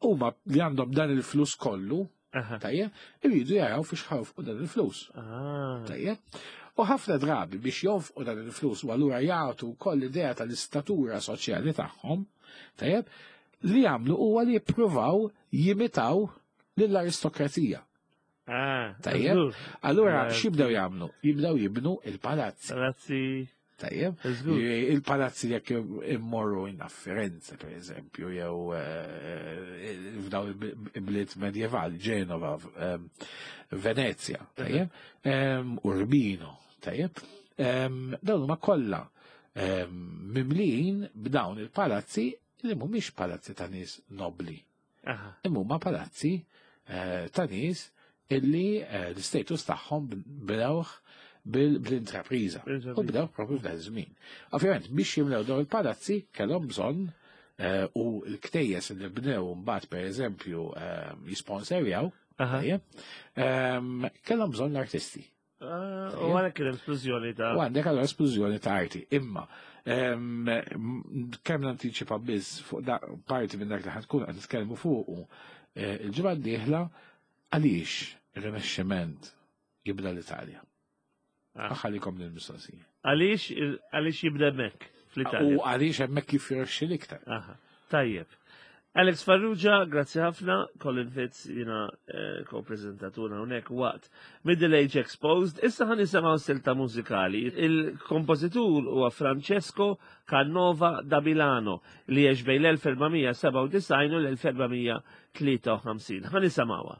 huma li għandhom dan il-flus kollu, tajjeb, iridu jaraw fiex ħawfqu dan il-flus. Ah. Tajjeb. U ħafna drabi biex jonfqu dan il-flus u allura jagħtu wkoll idea tal-istatura soċjali tagħhom, tajjeb, li jagħmlu huwa li jippruvaw jimitaw lill-aristokrazija. Ah, Tajjeb. Allura x'jibdew jagħmlu? Jibdew jibnu il-palazzi. Palazzi. Tajjeb. Il-palazzi jekk immorru in Firenze, per eżempju, jew eh, f'daw il-bliet medjevali, Ġenova, ehm, Venezia, tajjeb, ehm, Urbino, tajjeb. Ehm, dawn huma kollha mimlijin b'dawn il-palazzi li mhumiex palazzi ta' nies nobli. Imma huma palazzi eh, ta' nies illi eh, l-status tagħhom bnewh bl-intrapriża. U bdew propju f'dan iż-żmien. Ovvjament biex jimlew dawn il-palazzi kellhom bżonn eh, u l-ktejjes li bnew mbagħad pereżempju jisponserjaw, kellhom bżonn l-artisti. Ah, u għalhekk kien esplużjoni ta' U għandek għal esplużjoni ta' arti. Imma kemm nantiċipa biss fuq da parti minn dak li ħatkun qed nitkellmu fuqu eh, il-ġimgħa d-dieħla għaliex ir-Rinaxximent jibda l-Italja. Ah. Aħħalikom lill-mistoqsija. Għaliex għaliex jibda hemmhekk fl-Italja. U għaliex hemmhekk jifjorxi l-iktar. Tajjeb. Alex Farrugia, grazzi ħafna, Colin Fitz jina eh, ko-prezentatur hawnhekk waqt Middle Age Exposed. Issa ħan nisimgħu silta mużikali. Il-kompożitur huwa Francesco Canova da Milano li għex bejn l-1497 u l-1453. Ħan nisimgħuha.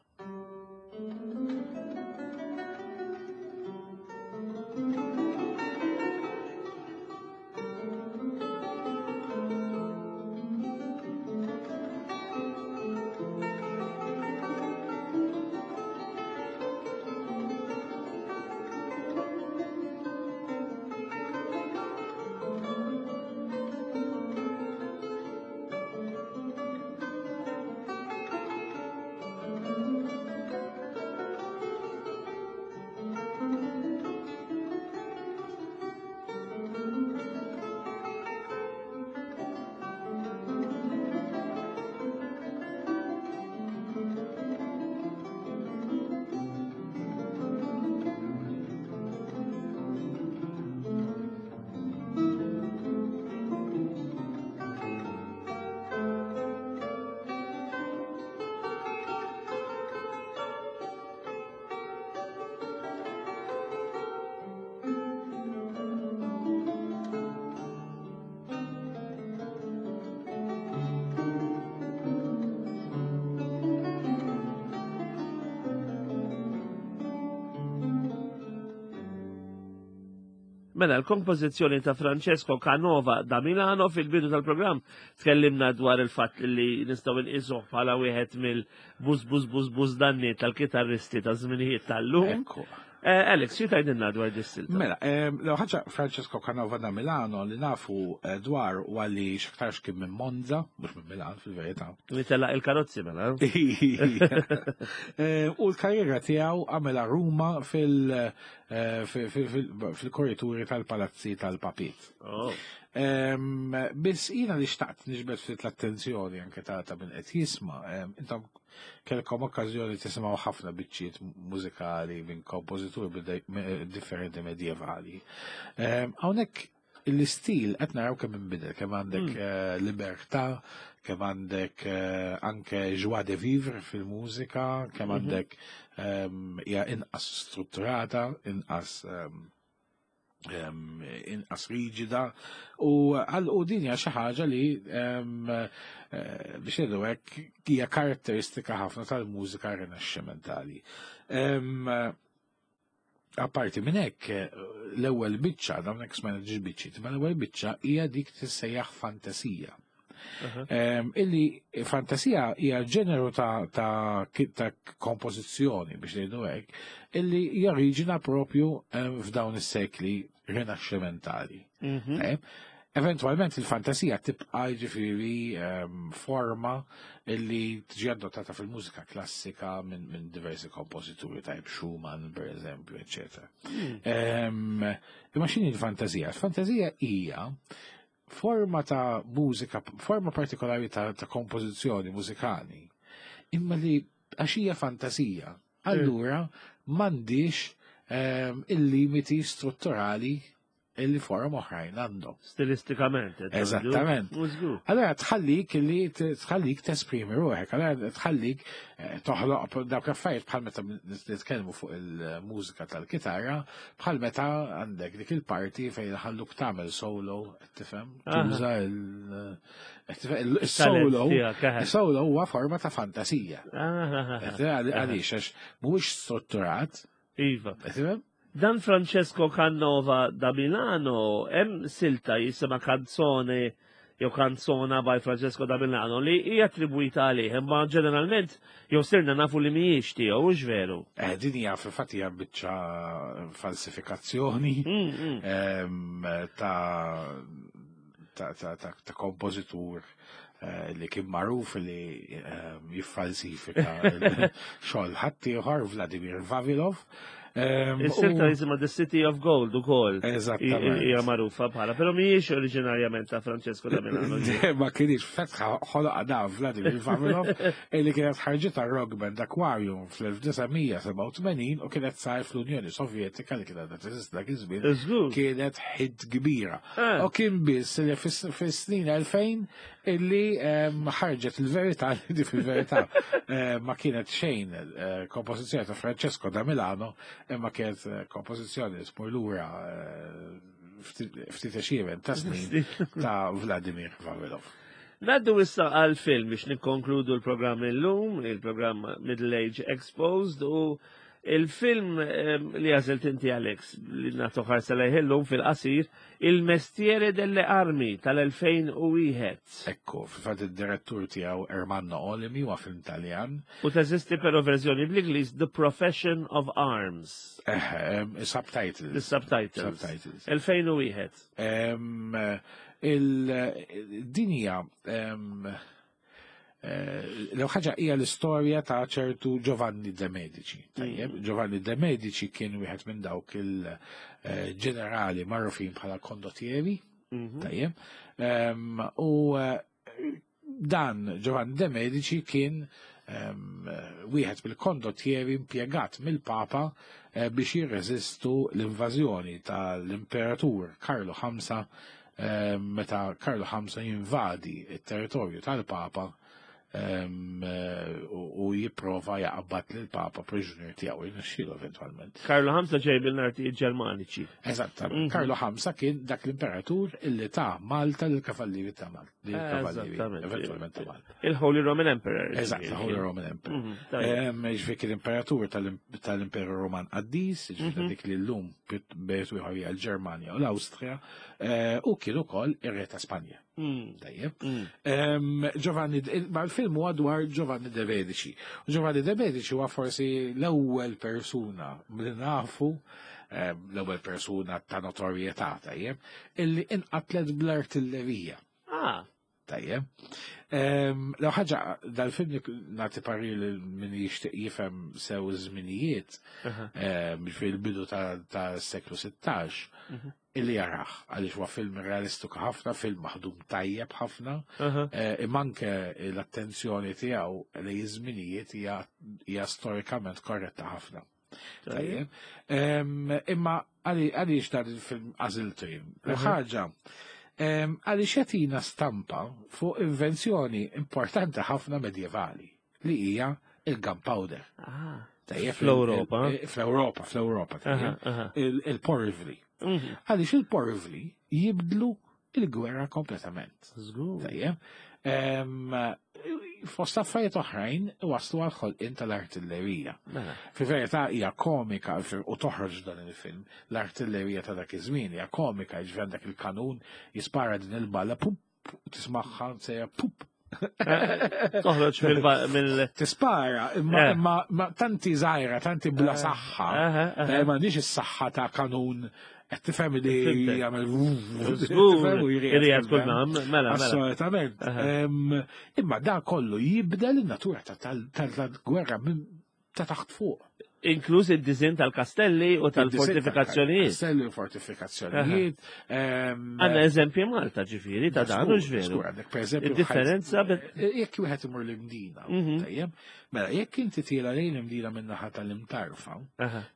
Mela, l-kompożizzjoni ta' Francesco Canova da Milano fil-bidu tal-programm tkellimna dwar il-fatt li nistgħu nqisuh bħala wieħed mill-buż buż buż buż danni tal-kitarristi ta' żminijiet tal-lum. Eh, Alex, xi tgħidilna dwar dis-silta? Mela, eh, l ħaġa Francesco Canova da Milano li nafu eh, dwar u għalli xaktarx kien minn Monza, mhux minn Milan fil-verità. Li telaq il-karozzi mela. U l-karriera tiegħu għamela Ruma fil- fil-korrituri tal-palazzi tal-papiet. Oh. Biss jina li xtaqt nixbet ftit l-attenzjoni anke ta' ta' min qed jisma', intom kelkom okkażjoni tisimgħu ħafna biċċiet mużikali minn kompożituri differenti medjevali. Hawnhekk l-istil qed naraw kemm inbidel, kemm għandek hmm. eh, libertà, kemm għandek eh, anke joie de vivre fil-mużika, kemm mhm. għandek ehm, hija inqas strutturata, inqas ehm, ehm, inqas riġida u għal u din hija xi ħaġa li eh, biex ngħidu hekk hija karatteristika ħafna tal-mużika rinaxximentali. Apparti minn hekk, l-ewwel biċċa, dawn hekk smajna ġiġ biċċiet, ma l-ewwel biċċa hija dik tissejjaħ fantasija. Illi fantasija hija ġeneru ta', ta, ta kompożizzjoni biex ngħidu hekk, illi joriġina propju f'dawn is-sekli rinaxximentali. Eventualment il-fantasija tibqa' jiġifieri forma illi tiġi adottata fil-mużika klassika minn min diversi kompożituri tajb Schumann, per eżempju, eccetera. Imma x'inhi l-fantasija? Il-fantasija hija forma ta' mużika, forma partikolari ta' kompożizzjoni mużikali, imma li għax hija fantasija, allura m'għandix il-limiti strutturali illi forom oħrajn għandhom. Stilistikament. Qed ngħidu. Eżattament. Mhux żgur. Allora tħallik li tħallik tesprimi ruħek, allora tħallik toħloq dawk l-affarijiet bħal meta nitkellmu fuq il-mużika tal-kitarra, bħal meta għandek dik il-parti fejn ħalluk tagħmel solo, qed tifhem, tuża qed tifhem, il-solo, tiegħek, eħe. il-solo huwa forma ta' fantasija. Ah. Qed tifhem, għaliex għax mhuwiex strutturat, qed tifhem? Dan Francesco Canova da Milano, hemm silta jisimha Canzone jew Canzona by Francesco da Milano li hija attribwita għalih, imma ġeneralment jew sirna nafu li mhijiex tiegħu, hux veru? Din hija fil-fatt hija biċċa falsifikazzjoni ta' kompożitur li kien magħruf li jiffalsifika xogħol ħaddieħor, Vladimir Vavilov. Is-silta jisimha The City of Gold ukoll. Eżattament. Hija magħrufa bħala, però mhijiex oriġinarjament ta' Francesco da Milano. Ma kienx fetħa ħoloqa da Vladimir Vavilov illi kienet ħarġitha rock band Aquarium fl-1987 u kienet sar fl-Unjoni Sovjetika li kienet teżisti dak iż-żmien. Kienet hit kbira. U kien biss li fis-snin 2000 illi ħarġet il-verità li di fil-verità ma kienet xejn kompożizzjoni ta' Francesco da Milano, imma kienet kompożizzjoni li tmur lura ftit għexieren ta' snin ta' Vladimir Vavilov. Ngħaddu issa għal film biex nikkonkludu l-programm illum, il-programm Middle Age Exposed, u il-film li għażilt inti, Alex, li nagħtu ħarsa lejh illum fil-qasir, Il Mestiere delle Armi tal-2001. Ekku, fil-fatt id-direttur tiegħu Ermanno Olmi huwa film Taljan. U teżisti però verżjoni bl-Ingliż The Profession of Arms. Subtitles. The subtitles. Subtitles. 2001. Il-dinja l ħaġa hija l-istorja ta' ċertu Giovanni de Medici. Tajjeb, Giovanni de Medici kien wieħed minn dawk il-ġenerali magħrufin bħala kondottieri. Tajjeb. U dan Giovanni de Medici kien wieħed mill-kondottieri impjegat mill-Papa biex jirreżistu l-invażjoni tal-Imperatur Karlu V meta Karlu V jinvadi il-territorju tal-Papa u jipprova jaqbad lill-Papa priġunier tiegħu jirnexxielu eventwalment. Karlu V ġej mill-artijiet Ġermaniċi. Eżattament. Karlu V kien dak l-imperatur illi ta' Malta lill-Kavallieri ta' Malta. Lill-Kavallieri, eventwalment ta' Malta. Il-Holy Roman Emperor. Eżatt, il-Holy Roman Emperor. Tajjeb. Ġifieri kien imperatur tal-Imperu Roman Qaddis, ġifieri dik li llum bejt ieħor hija l-Ġermanja u l-Awstrija, u kien ukoll ir-re ta' Spanja. Tajjeb. Giovanni, ma l-film huwa dwar Giovanni de Medici. U Giovanni de Medici huwa forsi l-ewwel persuna li nafu, l-ewwel persuna ta' notorjetà, tajjeb, illi inqatlet bl-artillerija. Tajjeb. L ħaġa dal-film nagħti parir li min jixtieq jifhem sew iż-żminijiet, fil-bidu ta' seklu 16, illi jarah, għaliex huwa film realistiku ħafna, film maħdum tajjeb ħafna, imma anke l-attenzjoni tiegħu li iż-żminijiet hija storikament korretta ħafna. Tajjeb. Imma għaliex dan il-film għażiltu jien? Ħaġa, għaliex jagħtina stampa fuq invenzjoni importanti ħafna medjevali li hija il-gunpowder. Tajjeb, Fl-Ewropa. Fl-Ewropa, tajjeb. Il-porvli. Għaliex il-porvli jibdlu il-gwerra kompletament. Tajjeb. Fost affarijiet oħrajn waslu għal ħolqien tal-artillerija. Fi verità hija komika u toħroġ dan il-film, l-artillerija ta' dak iż-żmien hija komika, jiġifieri għandek il-kanun jispara din il-balla pum. Tismagħha sejja pup. Toħroġ mill. Tispara, imma eh. tanti żgħira, tanti bla eh. saħħa. Eh, m'għandix is-saħħa ta' kanun qed tifhem li jagħmel Irjed kull mela, mela. Assolutament. Imma da kollu jibdel in-natura tal-gwerra ta' taħt fuq. Inkluż id-diżin tal-kastelli u tal-fortifikazzjonijiet. Kastelli u fortifikazzjonijiet. Għanna eżempji Malta ġifieri ta' dan u ġveru. Għandek per eżempju. Differenza. Eh, jekk wieħed imur l-Imdina, mhm. tajjeb, mela jekk inti tiela lejn l-Imdina min-naħa tal-Imtarfa,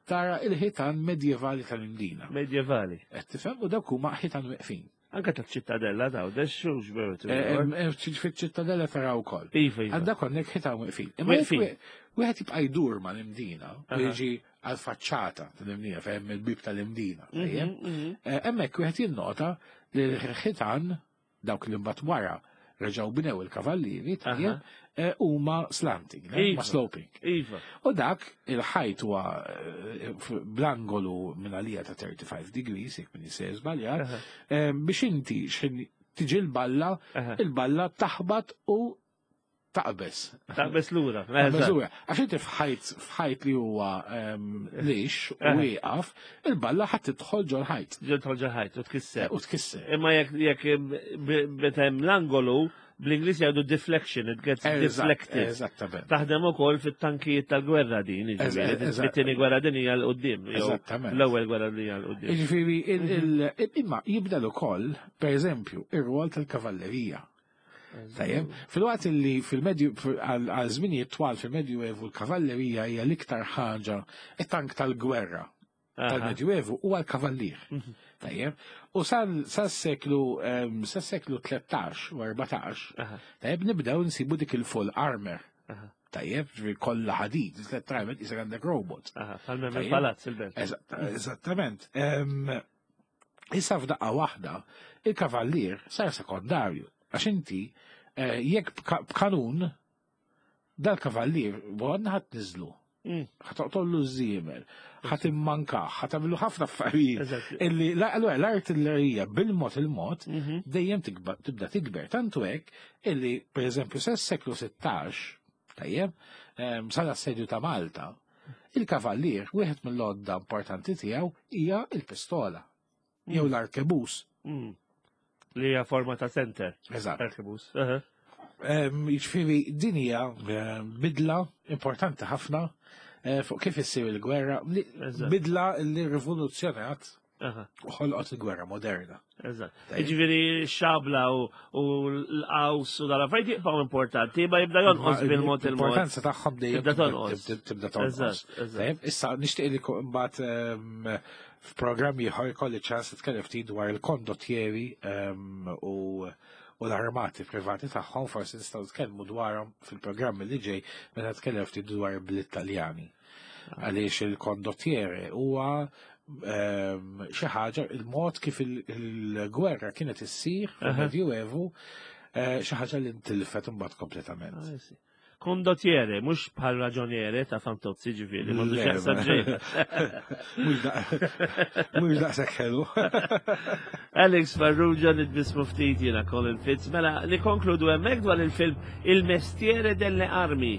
tara il-ħitan medjevali tal-Imdina. Medjevali. Qed tifhem u dawk huma ħitan weqfin. Anka ta' ċittadella ta' u xux veru. Eh, eh, Fiċ-ċittadella tara wkoll. Iva, iva. Għandha konnek ħitan weqfin. Imma wieħed jibqa' jdur mal-Imdina u jiġi għal-faċċata tal-Imdina fejn il-bib tal-Imdina. Mhm, mhm. Eh, hemmhekk wieħed jinnota li l-ħitan dawk li mbagħad wara reġgħu bnew il-kavallieri tajjeb eh, huma slanting, ma iva. sloping. Iva. U dak il-ħajt huwa eh, bl-angolu minn għalija ta' 35 degrees, jekk min jisejjer żbaljat, eh, biex inti x'ħin tiġi l-balla, il-balla taħbat u taqbeż. Taqbeż lura. Taqbeż lura. Għax inti f'ħajt f'ħajt li huwa ehm, lix u eh. wieqaf, il-balla ħadd tidħol ġol ħajt. Ġol ġol ħajt u tkisser. U tkisser. Imma jekk jekk meta hemm l-angolu bl-Ingliż jgħidu deflection, it gets deflected. Eżattament. Taħdem ukoll fit-tankijiet tal-gwerra din, jiġifieri, fit-tieni gwerra din hija l-qudiem. Eżattament. L-ewwel gwerra din hija l-qudiem. Jiġifieri imma jibdel ukoll, pereżempju, ir-rwol tal-kavallerija. Tajjeb, fil-waqt li fil-medju għal żminijiet twal fil-Medju Evu l-kavallerija hija l-iktar ħaġa it-tank tal-gwerra tal-Medju Evu huwa l-kavallier. Mhm. Tajjeb, u sas-seklu sas-seklu 13 u 14, tajjeb nibdew nsibu dik il-full armor. Tajjeb, ġifieri kollha ħadid, letteralment isek għandek robot. Palmem il-palazz il-belt. Eżattament. Issa f'daqqa waħda, il-kavallier sar sekondarju. Għax inti, eh, jekk b'kanun, dal-kavallier, għandna ħadd niżlu. Mm. Ħatoqtollu z-żiemel, ħat immankaħ, ħat għamlu ħafna affarijiet. Illi l-artillerija bil-mod il-mod mhm. dejjem tibda tikber. Tantu hekk illi, per eżempju, s-seklu 16, tajjeb, ehm, sal-assedju ta' Malta, Il-kavallier, wieħed mill-għodda importanti tiegħu hija l-pistola jew mm. l-arkebus. Mm. Li hija forma ta' center. Eżatt. Arkebus. Jiġifieri din hija bidla importanti ħafna eh, fuq kif issir il-gwerra, bidla li rivoluzzjonat U ħolqot il-gwerra moderna. Eżatt. Jiġifieri xabla u l-qaws u dal-affarijiet jibqgħu importanti, ma jibda jonqos bil-mod il-mod. L-importanza tagħhom dejjem tibda tonqos. Tibda tonqos. Issa nixtieq li mbagħad ehm, f'programm ieħor ikolli ċans nitkellem ftit dwar il-kondottieri ehm, u u l-armati privati tagħhom forsi nistgħu nitkellmu dwarhom fil-programm li ġej meta nitkellem ftit dwar bl-Italjani. Għaliex il-kondottiere huwa ehm, xi ħaġa il-mod kif il-gwerra kienet issir fil-Medjuevu eh, xi ħaġa li ntilfet imbagħad kompletament. Ah, Kondottiere, mhux bħal raġoniere ta' Fantozzi ġifieri, m'għandux jaqsam Mhux daqshekk ħelu. Alex Farrugia nitbismu ftit jiena Colin Fitz. Mela, nikonkludu hemmhekk dwar il-film Il Mestiere delle Armi.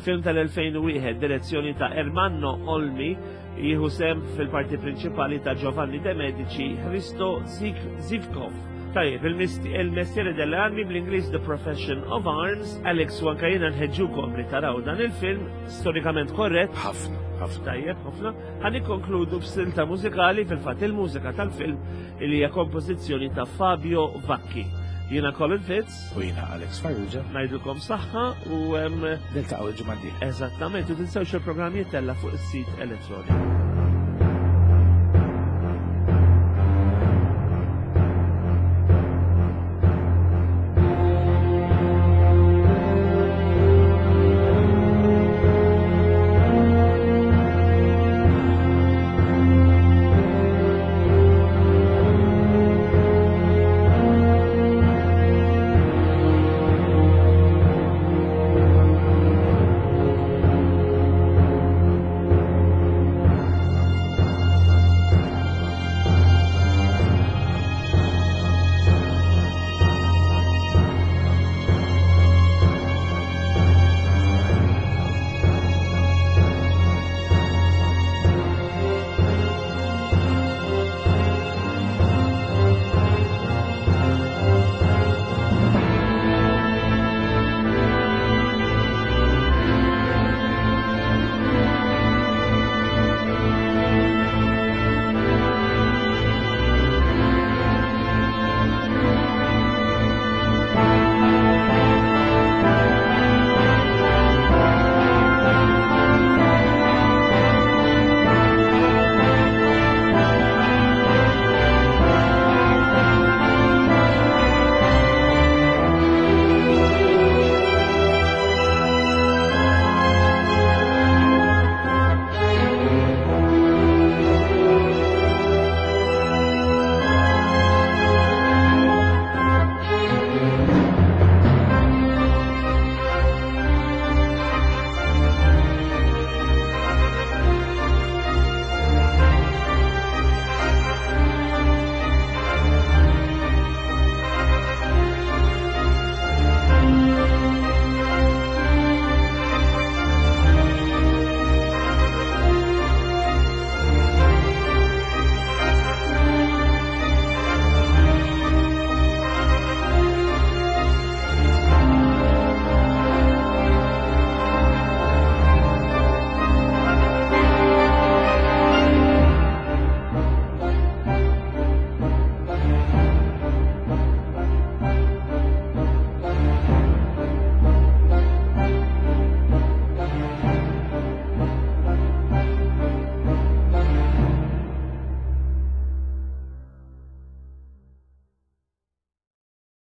Film tal-2001, direzzjoni ta' Ermanno Olmi, jieħu sem fil-parti prinċipali ta' Giovanni De Medici, Hristo Zivkov. Tajjeb, il-Mestiere delle Armi bl-Ingliż The Profession of Arms, Alex u anka jiena nħeġġukom li taraw dan il-film, storikament korrett. Ħafna, ħafna. Tajjeb, ħafna. Ħa nikkonkludu b'silta mużikali fil-fatt il-mużika tal-film li hija kompożizzjoni ta' Fabio Vacchi. Jiena Colin Fitz. U jiena Alex Farrugia. Ngħidilkom saħħa u niltaqgħu l-ġimgħa d-dieħla. Eżattament, u tinsewx il-programm jittella fuq is-sit elettroniku.